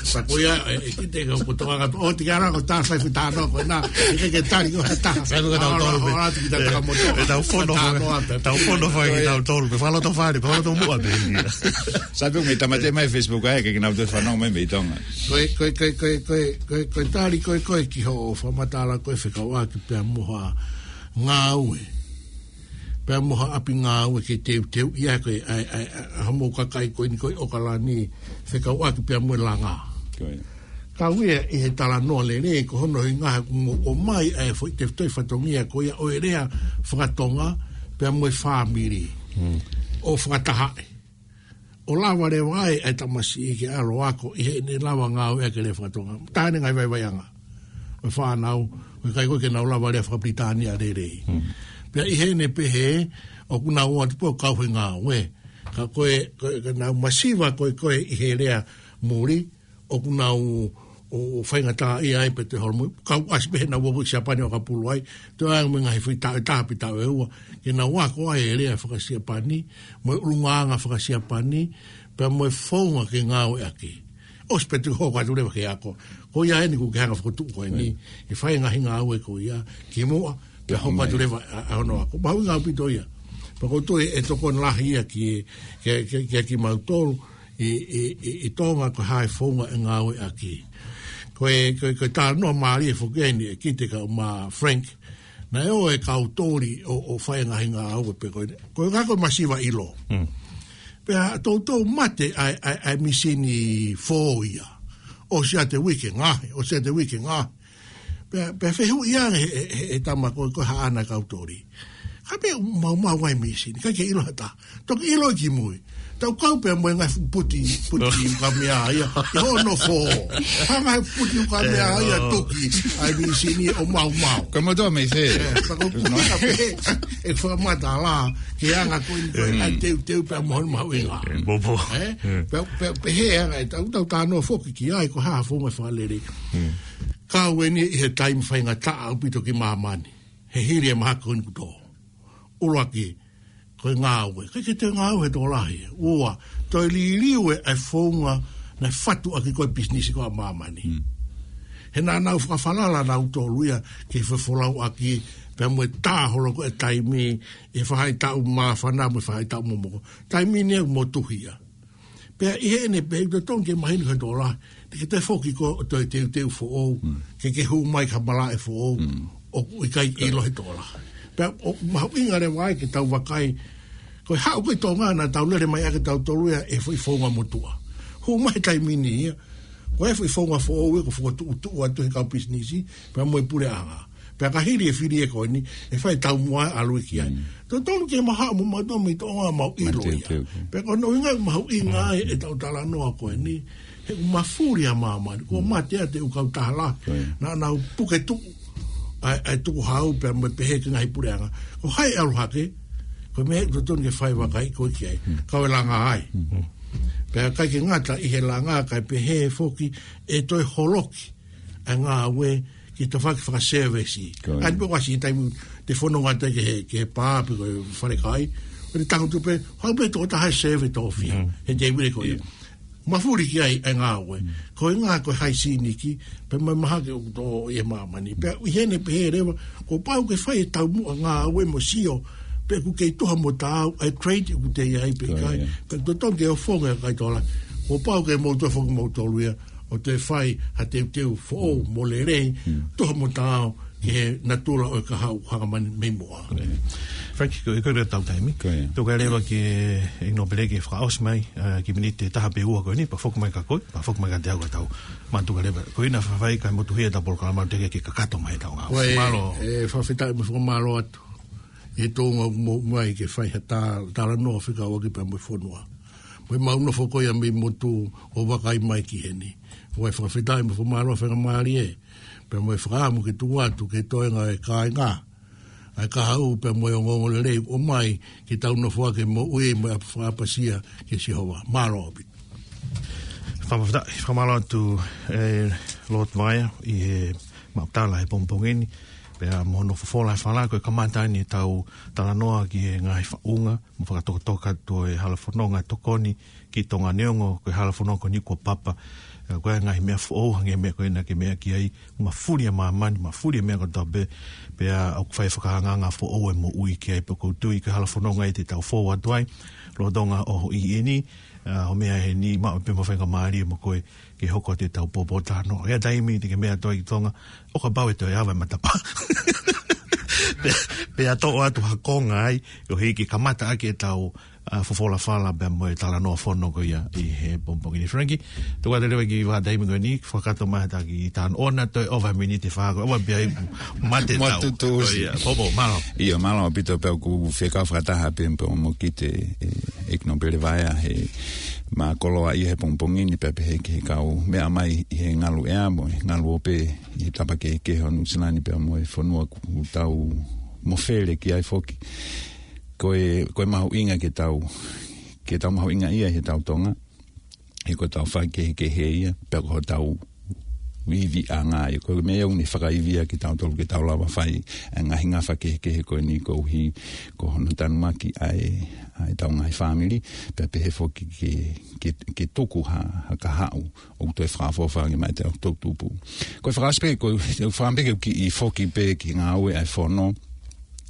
Sa ko ia, e, e, ki te ka ko Tonga, ʻo te kara ko tā fai fita no, ko na, ke, ke tali ko ha taha. Sai ko tau Ora, tolu pē. ora, ki ta taka moto. E tau fono Tano fai, ata. tau fono fai ki Ko e. tau tolu pē. Fakaloto fale, fakaloto muʻa pē ia. Sai pē me tamate mai Facebook ai, ke ke nau te fanau mai mei Tonga. Ko e, ko e, ko e, ko e, ko e, ko e, ko e tali ko e, ko e ki hoʻo fakamatala ko e fekauʻaki pea mo ha ngāue. Pea mo ha ʻapi ngāue ke teuteu ia ko e, ʻa e, ʻa e, ʻa e, ʻa e, hoʻomou kakai ko eni ko e ʻOkalani fekauʻaki pea mo e langa. Ko e. Kau ia ʻi he talanoa lelei ko hono hinga he ʻoku mou ʻomai ʻa e foʻi tefitoʻi fatongia ko ia ʻo e lea fakatonga pea mo e fāmili. Mm. ʻO fakatahaʻi. ʻO lava leva ai ʻa e tamasiʻi ke ʻalu ʻo ako ʻi heʻene lava ngāueʻaki e lea fakatonga. Taha eni e ngaahi vaivaiʻanga ʻo e fānau, ʻoku ʻikai ko e ke nau lava lea fakapilitānia lelei. Hmm. Pea ʻi heʻene pehē, ʻoku nau ō atu pē ʻo kau he ngāue. Ka ko e, ko e, ka nau masiva ko e, ko e ʻi he lea muli, ʻoku nau ō, ō faingataʻaʻia ai pē te holo mo, kau ʻasi pē he nau ō ki Siapani ʻo ʻakapulu ai, toe ʻai mo e ngaahi foʻi taʻu ʻe taha pe taʻu ʻe ua, ke nau ako ai e lea fakasiapani, mo e ʻulungaanga fakasiapani, pea mo e founga ke ngāueʻaki. ʻOsi pē te hoko atu leva ke ako. Ko ia eni ʻoku ke hanga ʻo fokotuʻu ko eni, Mm. ke fai e ngaahi ngāue ko ia, kimuʻa, pea Pea hoko atu mai. leva ʻa, ʻa hono ako. Mahuʻinga ʻaupito ia. Pea ʻoku ou tui ʻe tokoni lahi ia ki, ki, ki, ki, kimautolu, ʻi, ʻi, ʻi, ʻi Tonga ko e hā e founga ʻe ngāueʻaki. Ko e, ko e, ko e talanoa mālie foki eni ʻe Kite kae ʻumaʻā Frank. Naʻe ō e kau toli ʻo, ʻo fai e ngaahi ngāue pē ko e, ko e ngaahi ko e masiva ʻilo. Mm. Pea toutou mate ʻa e, ʻa e, ʻa e misini fō ia. ʻOsi ʻa e uike ngaohi, ʻosi ʻa e uike ngaohi. Pea, pea fehuʻi ange he, he, he, he tama ko, ko e hā ʻana e kau toli. Ka pea maumau ai e misini, ʻikai ke ʻilo ha taha. Toki ʻilo ki mui. Tau kau pea mo e ngaahi fuʻu puti, puti ukamea ia, ʻi hono fō. Hanga he puti ukamea ia, Ē, ʻo. tuki, ʻa e misini ʻo maumau. Ko e motuʻa mei fē? Ē, pea ko e puti ka pē, ʻe fakamatala, ke anga ko eni ko e, Mm. ʻa e teuteu pea mo hono mahuʻinga. Ē, popo. Ē? Ē. Pea, pea, pehē anga e tau, tau talanoa foki ki ai, ko e hā e founga fakalelei. Mm. Kau eni ʻi he taimi faingataʻa ʻaupito ki māmani. He hili e mahaki ko eni kuo tō. ʻUluaki, ko e ngāue. ʻIkai ke toe ngāue he tokolahi. Ua, toe liliu e, e founga naʻe fatu ʻaki ko e pisinisi ko ē ʻa māmani. Mm. He naʻa nau fakafalala nautolu ia ke fefolauʻaki pea mo e tā holo ko e taimi ʻi he faʻahitaʻu māfana mo e faʻahitaʻu momoko. Taimi ni ʻoku motuhi ia. Pea ʻi heʻene pehē ʻoku totonu ke mahino ki he tokolahi, te ke toe foki koe ʻo toe teuteu foʻou, ke ke hū mai ki ha malaʻe foʻou, ʻoku ʻikai ʻilo he tokolahi. Pea ʻoku mahuʻinga leva ai ke tau vakai, ko e haʻu ko ē ʻi Tonga naʻa tau lele mai ʻaki ʻe tautolu ia e foʻi founga motuʻa. Hū mai he taimi ni ia, ko e foʻi founga foʻou ia kuo fokotuʻutuʻu atu he kau pisinisi, pea mo e puleʻanga. Pea ka hili e fili ko eni, ʻe fai taumuʻa ʻalu ki ai. Totonu ke mau haʻu mo mautolu mei Tonga mau ʻilo ia. Pea ko hono ʻuhinga mahuʻinga ai ʻetau talanoa ko eni, he ʻoku mafuli ʻa māmani, kuo mate ʻa e ʻū kautaha lahi. Naʻa nau puke tuʻu ʻa e, ʻa e tukuhau pea mo e pehē ki he ngaahi puleʻanga. Ko hai ʻalu hake, ko e meʻa ʻoku totonu ke fai vakai ko ē ki ai. Kau e langa ai. Pea ʻikai ke ngata ʻi he langa kae pehē foki ʻe toe holoki ʻa e ngāue ki he tafaʻaki fakasevesi. ʻAni pē ʻoku ʻasi he taimi te fononga atu ki he, ki he pā pe ko e falekai. ʻO te tangutu pē, haʻu pē tokotaha ʻe seve tofi. He tēvile ko ia. Mafuli ki ai ʻa e ngāue. Ko e ngā ko e haisīniki, pea mo e mahaki ʻoku tō ʻi he māmani. Pea ʻi heʻene pehē leva, kuo pau ke fai e taumuʻa ngāue mo sio, pe ʻoku kei tuha mo taau ʻa e trade ʻoku te ʻi ai pe ʻikai. Pea totonu ke ʻofonga ʻa e kaitola. Kuo pau ke mou toe foki moutolu ia, ʻo toe fai ha teuteu foʻou mo lelei, tuha mo taau ki he natula ʻo e kahaʻu hanga mai mei muʻa. Frank, ko e, ko e tau taimi. Tuku leva ki he ʻEiki Nōpele ke fakaʻosi mai, ʻa, kiʻi miniti ʻe taha pe ua ko eni, pea foki mai kia koe, pea foki mai kiate au ka tau mātuʻaki leva. Ko ena faifai kae motuhi ʻetau polokalama teʻeki ke kakato mai ʻetau ngāue. Mālō. ʻE, fakafetaʻi mo fakamālō atu ʻi he tuʻunga ʻoku mou ʻomai ke fai ha tā-, talanoa fekauʻaki pea mo e fonua. Mo e mau nofo ko ia mei motu ʻo vakai mai ki heni. ʻOku ou fakafetaʻi mo fakamālō faingamālie pea mo e fakaʻamu ke tuku atu ki he toenga ʻo e kāinga ʻa e kahaʻu pea mo e ongoongolelei ʻoku ʻomai ke tau nofo ʻaki e moʻui mo e ʻapasia kia Sihova. Mālō ʻaupito. Fakafetaʻi, fakamālō atu, ʻe, Lord Vaea, ʻi he maʻu tala he pongipongi ni, pea mo hono fofola e fala, ko e kamata eni ʻetau talanoa ki he ngaahi faʻunga mo fakatokatoka atu ʻo e hala fononga tokoni ki Tonga neongo ko e hala fononga ko eni kuo papa. ʻE, ko e ngaahi meʻa foʻou hangē meʻa ko ena ke meʻa ki ai, mafuli ʻa māmani, mafuli ʻa e meʻa kotoa pē, pea ʻoku fai fakahangahanga foʻou e moʻui ki ai. Pea ʻoku ou tui ko e hala fononga ʻe te tau fou atu ai lolotonga ʻo e ʻaho ni, ʻa, ʻo meʻa eni, maʻu pē mo faingamālie mo koe ke hoko atu ʻetau pōpōtalanoa. ʻI he taimi te ke meʻa atu ai ki Tonga, ʻo kapau ʻe toe ava e matapā. Pea, pea toʻo atu ha konga ai, ʻo hiki kamata ʻaki ʻetau, ʻa, fofola fala pea mo e talanoa fono ko ia ʻi he pongipongi ni. Frankie, tuku atu leva kiʻi vahaʻa taimi ko eni, fakakakato mai ha taki tano ʻona toe ʻova miniti ʻe fā ko ē, ʻova pē ai mate tau. Matutu usi. ʻIo, mālō. ʻIo, mālō ʻaupito pea ʻoku fekau fakataha pē mo Pea mo Kite, ʻe, ʻEiki Nōpele Vaea he mākoloa ia he pongipongi ni pea pehē ki he kau meʻa mai ʻi he ngalu ʻea mo e ngalu ope ʻi he tapa kehekehe ʻo Nuʻusila ni pea mo e fonua ʻoku tau mofele ki ai foki. Ko e, ko e mahuʻinga ke tau, ke tau mahuʻinga ia he tau Tonga. He ko e tau fai kehekehe ia, pea ko hotau ivi ʻa ngā ia. Ko e meʻa ʻoku ne fakaivia kitautolu ke tau lava fai ʻa e ngaahi ngafa kehekehe ko eni koeʻuhi ko hono tanumaki ʻa e, ʻa e tau ngaahi fāmili, pea pehē foki ke, ke, ke tuku ha, ha kahaʻu ʻoku toe fakaʻofoʻofa ange maʻa e tau toʻutupu. Ko e fakaʻosi pē, ko e fakaʻosi pē ke u kiʻi foki pē ki he ngāue ʻa e fono,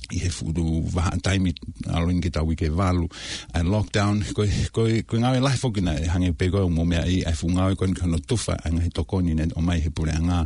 ʻi he fuʻu vahaʻa taimi ʻalu eni ki he tau uike ʻe valu, ʻa e lockdown, ko e, ko e, ko e ngāue lahi foki naʻe hangē pē ko e mou meaʻi, ʻa e fuʻu ngāue ko eni ki hono tufa ʻa e ngaahi tokoni naʻe ʻomai he puleʻanga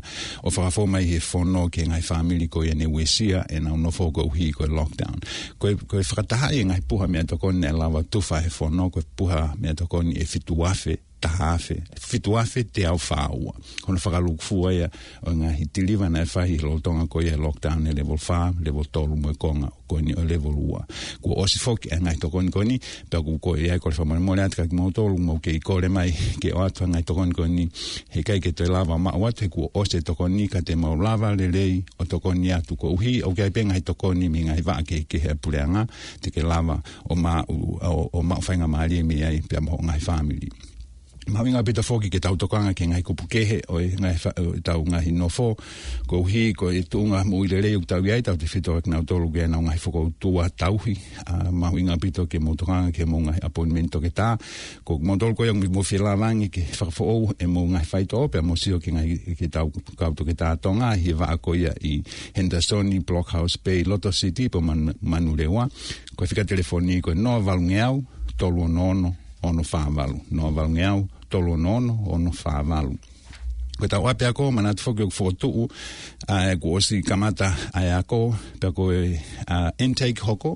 ʻo fakafou mai he fono ki he ngaahi fāmili ko ia ne uesia ʻenau nofo koeʻuhi ko e lockdown. Ko e, ko e fakatahaʻi e ngaahi puha meʻatokoni naʻe lava tufa he fono, ko e puha meʻatokoni ʻe fitu afe taha afe, fitu afe teau fā ua. Ko hono fakalūkufua ia ʻo e ngaahi tiliva naʻe fai he lolotonga ko ia he lockdown ʻe level fā, level tolu mo e konga ko eni ʻo e level ua. Kuo ʻosi foki ʻa e ngaahi tokoni ko eni, pea ʻoku ou kole ai, kole fakamolemole atu kiate kimoutolu ʻoku mou kei kole mai ke ʻoatu ʻa e ngaahi tokoni ko eni, he ʻikai ke toe lava maʻu atu, he kuo ʻosi e tokoni, ka te mau lava lelei ʻo tokoni atu koeʻuhi ʻoku ʻi ai pē ngaahi tokoni mei he ngaahi vaʻa kehekehe ʻa e puleʻanga, te ke lava ʻo maʻu, ʻo, ʻo maʻu faingamālie mei ai pea mo hoʻo ngaahi fāmili. Mahuʻinga ʻaupito foki ke tau tokanga ki he ngaahi kupu kehe ʻo e ngaahi fa-, ʻo e tau ngaahi nofo, koeʻuhi ko e tuʻunga moʻui lelei ʻoku tau ʻi ai, tautefito kiate kinautolu ʻoku ʻi ai ʻenau ngaahi fokoutua tauhi. ʻA, mahuʻinga ʻaupito ke mou tokanga ki he mou ngaahi appointment toketā. Ko kimoutolu ko ia ʻoku mou fie lava ange ke fakafoʻou e mou ngaahi faitoʻo pea mou sio ki he ngaahi, ki he tau kau toketā Tonga ʻi he vaʻa ko ia ʻi Henderson, Blockhouse Bay, Loto City, pea mo Manu-, Manurewa. Ko e fika telefoni ko e noa valungeau, tolu ono ono, ono fā valu. Noa valungeau, tolu ono ono, ono fā valu. Ko ʻetau ʻapiako, manatu foki ʻoku fokotuʻu, ʻa e kuo ʻosi kamata ʻa e ako, pea ko e, ʻa, intake hoko,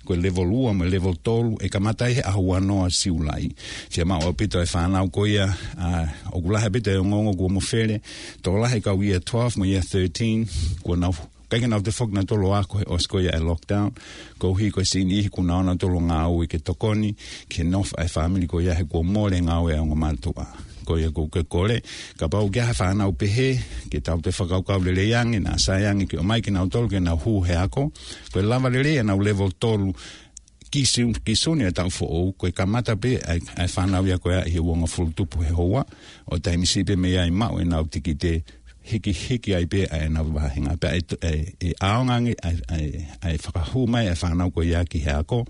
ko e level ua mo e level tolu, ʻe kamata ʻi he ʻaho ua noa Siulai. Fiemaʻu ʻaupito e fānau ko ia, ʻa, ʻoku lahi ʻaupito e ongoongo kuo mofele, tokolahi e kau year twelve mo year thirteen, kuo nau ʻikai ke nau toe foki nautolu ʻo ako he ʻosi ko ia e lockdown, koeʻuhi ko e siʻi niʻihi kuo nau ō nautolu ʻo ngāue ke tokoni ki he nofo ʻa e fāmili ko ia he kuo mole e ngāue ʻa e ongo mātuʻa. Ko ia ʻoku ou kole, kapau ʻoku ʻi ai ha fānau pehē, ke tau toe fakakaukau lelei ange, naʻa sai ange ke ʻomai kinautolu ke nau hū he ako. Ko e lava lelei ʻenau level tolu, ki Siu-, ki Sune ʻo e taʻu foʻou, ko e kamata pē ʻa e, ʻa e fānau ia ko ia ʻi he uongofulu tupu he houa, ʻo taimi siʻi pē mei ai maʻu ʻenau tikite, hikihiki ai pē ʻa ʻenau vāhenga. Pea ʻe, ʻe, ʻe ʻaonga ange ʻa e, ʻa e, ʻa e fakahū mai ʻa e fānau ko ia ki he ako,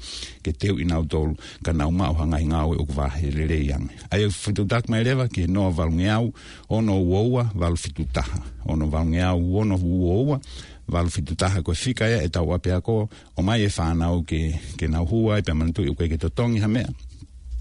ke teuʻi nautolu, ka nau maʻu ha ngaahi ngāue ʻoku vahe lelei ange. ʻA ia ʻoku fetuʻutaki mai leva ki he noa valungeau, ono ua ua, valu fitu taha. Ono valungeau, ono ua ua, valu fitu taha. Ko e fika ia ʻetau ʻapiako, ʻomai e fānau ke, ke nau hū ai pea manatuʻi ʻoku ʻikai ke totongi ha meʻa.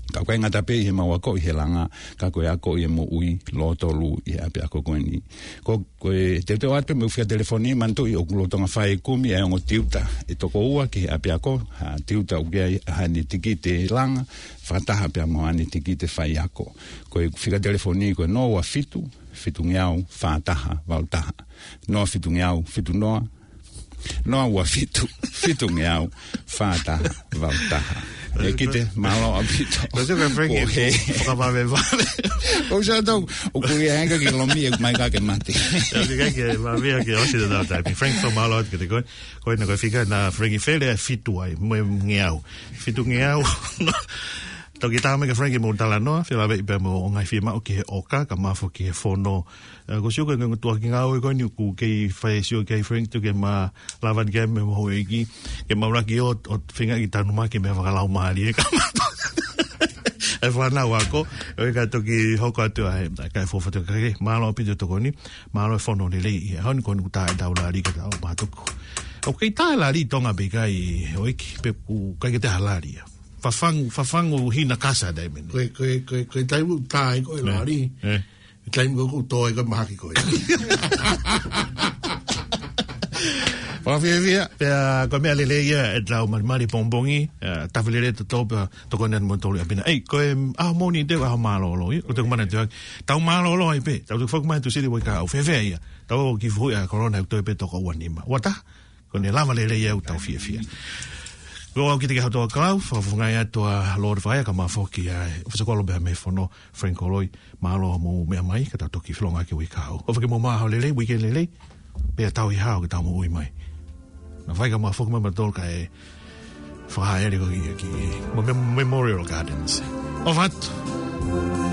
Ka ʻoku ʻikai ngata pē ʻi he mau akoʻi he langa, ka ko e akoʻi e moʻui lōtolu ʻi he ʻapiako ko eni. Ko, ko e teuteu atu pē mo e fika telefoni, manatuʻi ʻoku lolotonga fai e kumi ʻa e ongo tiuta ʻe toko ua ki he ʻapiako, ha tiuta ʻoku ʻi ai haʻane tikite langa, fakataha pea mo haʻane tikite faiako. Ko e fika telefoni ko e noa ua fitu, fitungeau, fā taha, valu taha. Noa fitungeau, fitu noa, noa ua fitu, fitungeau, fā taha, valu taha. ʻEkite, mālō ʻaupito. Ko se ka Frankie, Ko he. Fakavavevave. ʻOku sai tau, ʻoku ʻi ai e anga ke lomi ʻe mai ka ke mate. ʻE, ʻikai ke vavea ke ʻosi ʻetau taimi. Frank, fakamālō atu kiate koe. Ko ena ko e fika naʻa Frankie fele ʻa e fitu ai, mo e ngeau. Fitungeau. Toki tā mai kia Frankie mo talanoa, fie lave pē mo e ngaahi fiemaʻu ki he ʻoka, kae ʻumaʻā foki ki he fono. ʻE, ko e sio ko e ngaahi tuʻa ki he ngāue ko eni ʻoku kei fai e sio ki ai Frank, tuku ke ma lava ni ke mo e houʻeiki, ke ma ʻuluaki ʻo, ʻo feinga ke tanu mai ki he meʻa fakalaumālie ʻe kamata. ʻE fānau ako, ʻoku ʻikai toki hoko atu ʻa e, ʻa e kai fofo te kake, mālō ʻaupito e tokoni, mālō e fono lelei, ʻi he ʻaho ni ko eni kuo tā ʻetau lali ka tau mātuku. ʻOku kei tā e lali ʻi Tonga pē ʻikai ʻEiki, pe ʻoku ʻikai ke toe ʻi ai ha lali ia. Fafangu, fafangu hina kasa taimi ni. Ko e, ko e, ko e, ko e taimi ʻoku tā ai ko ē ʻE, lali. ʻE. Taimi ko ē ʻoku tō ai ko ē mahaki ko ē. Fakafiefia, pea ko e meʻa lelei ia ʻetau malimali pongipongi, ʻe, tafi lelei ʻetau tō pea tokoni atu mo tolu ʻi ʻapi na. ʻEi, ko e ʻaho Mōnite ʻoku ʻaho mālōlō ia, ʻoku te kumana te ʻai. Tau mālōlō ai pē, tau tuku foki mai ʻi he Tuʻisila ʻo e kahaʻu, fēfē ia. Tau ō ki he fuhu ʻa e kolona ʻoku toe pē toko ua nima. Ua taha, ko ʻene lava lelei ʻetau fiefia. Ko au Kitiki Haʻatoa Kalau, fakafofongaʻi atu ʻa Lord Faia kae ʻumaʻā foki ʻa e ʻofisa kolo pea mei he fono, Frank Koloi, mālō hoʻomou meʻa mai, ka tau toki feʻiloaki he uike kahaʻu. ʻOfa ke mou maʻu ha ʻaho lelei, weekend lelei, pea tau ʻi he ʻaho ke tau moʻui mai. Naʻa Faia kae ʻumaʻā foki mo mautolu kae fakahā ʻa e lelei ko ē ki, ki Mem-, Memorial Gardens. ʻOfa atu.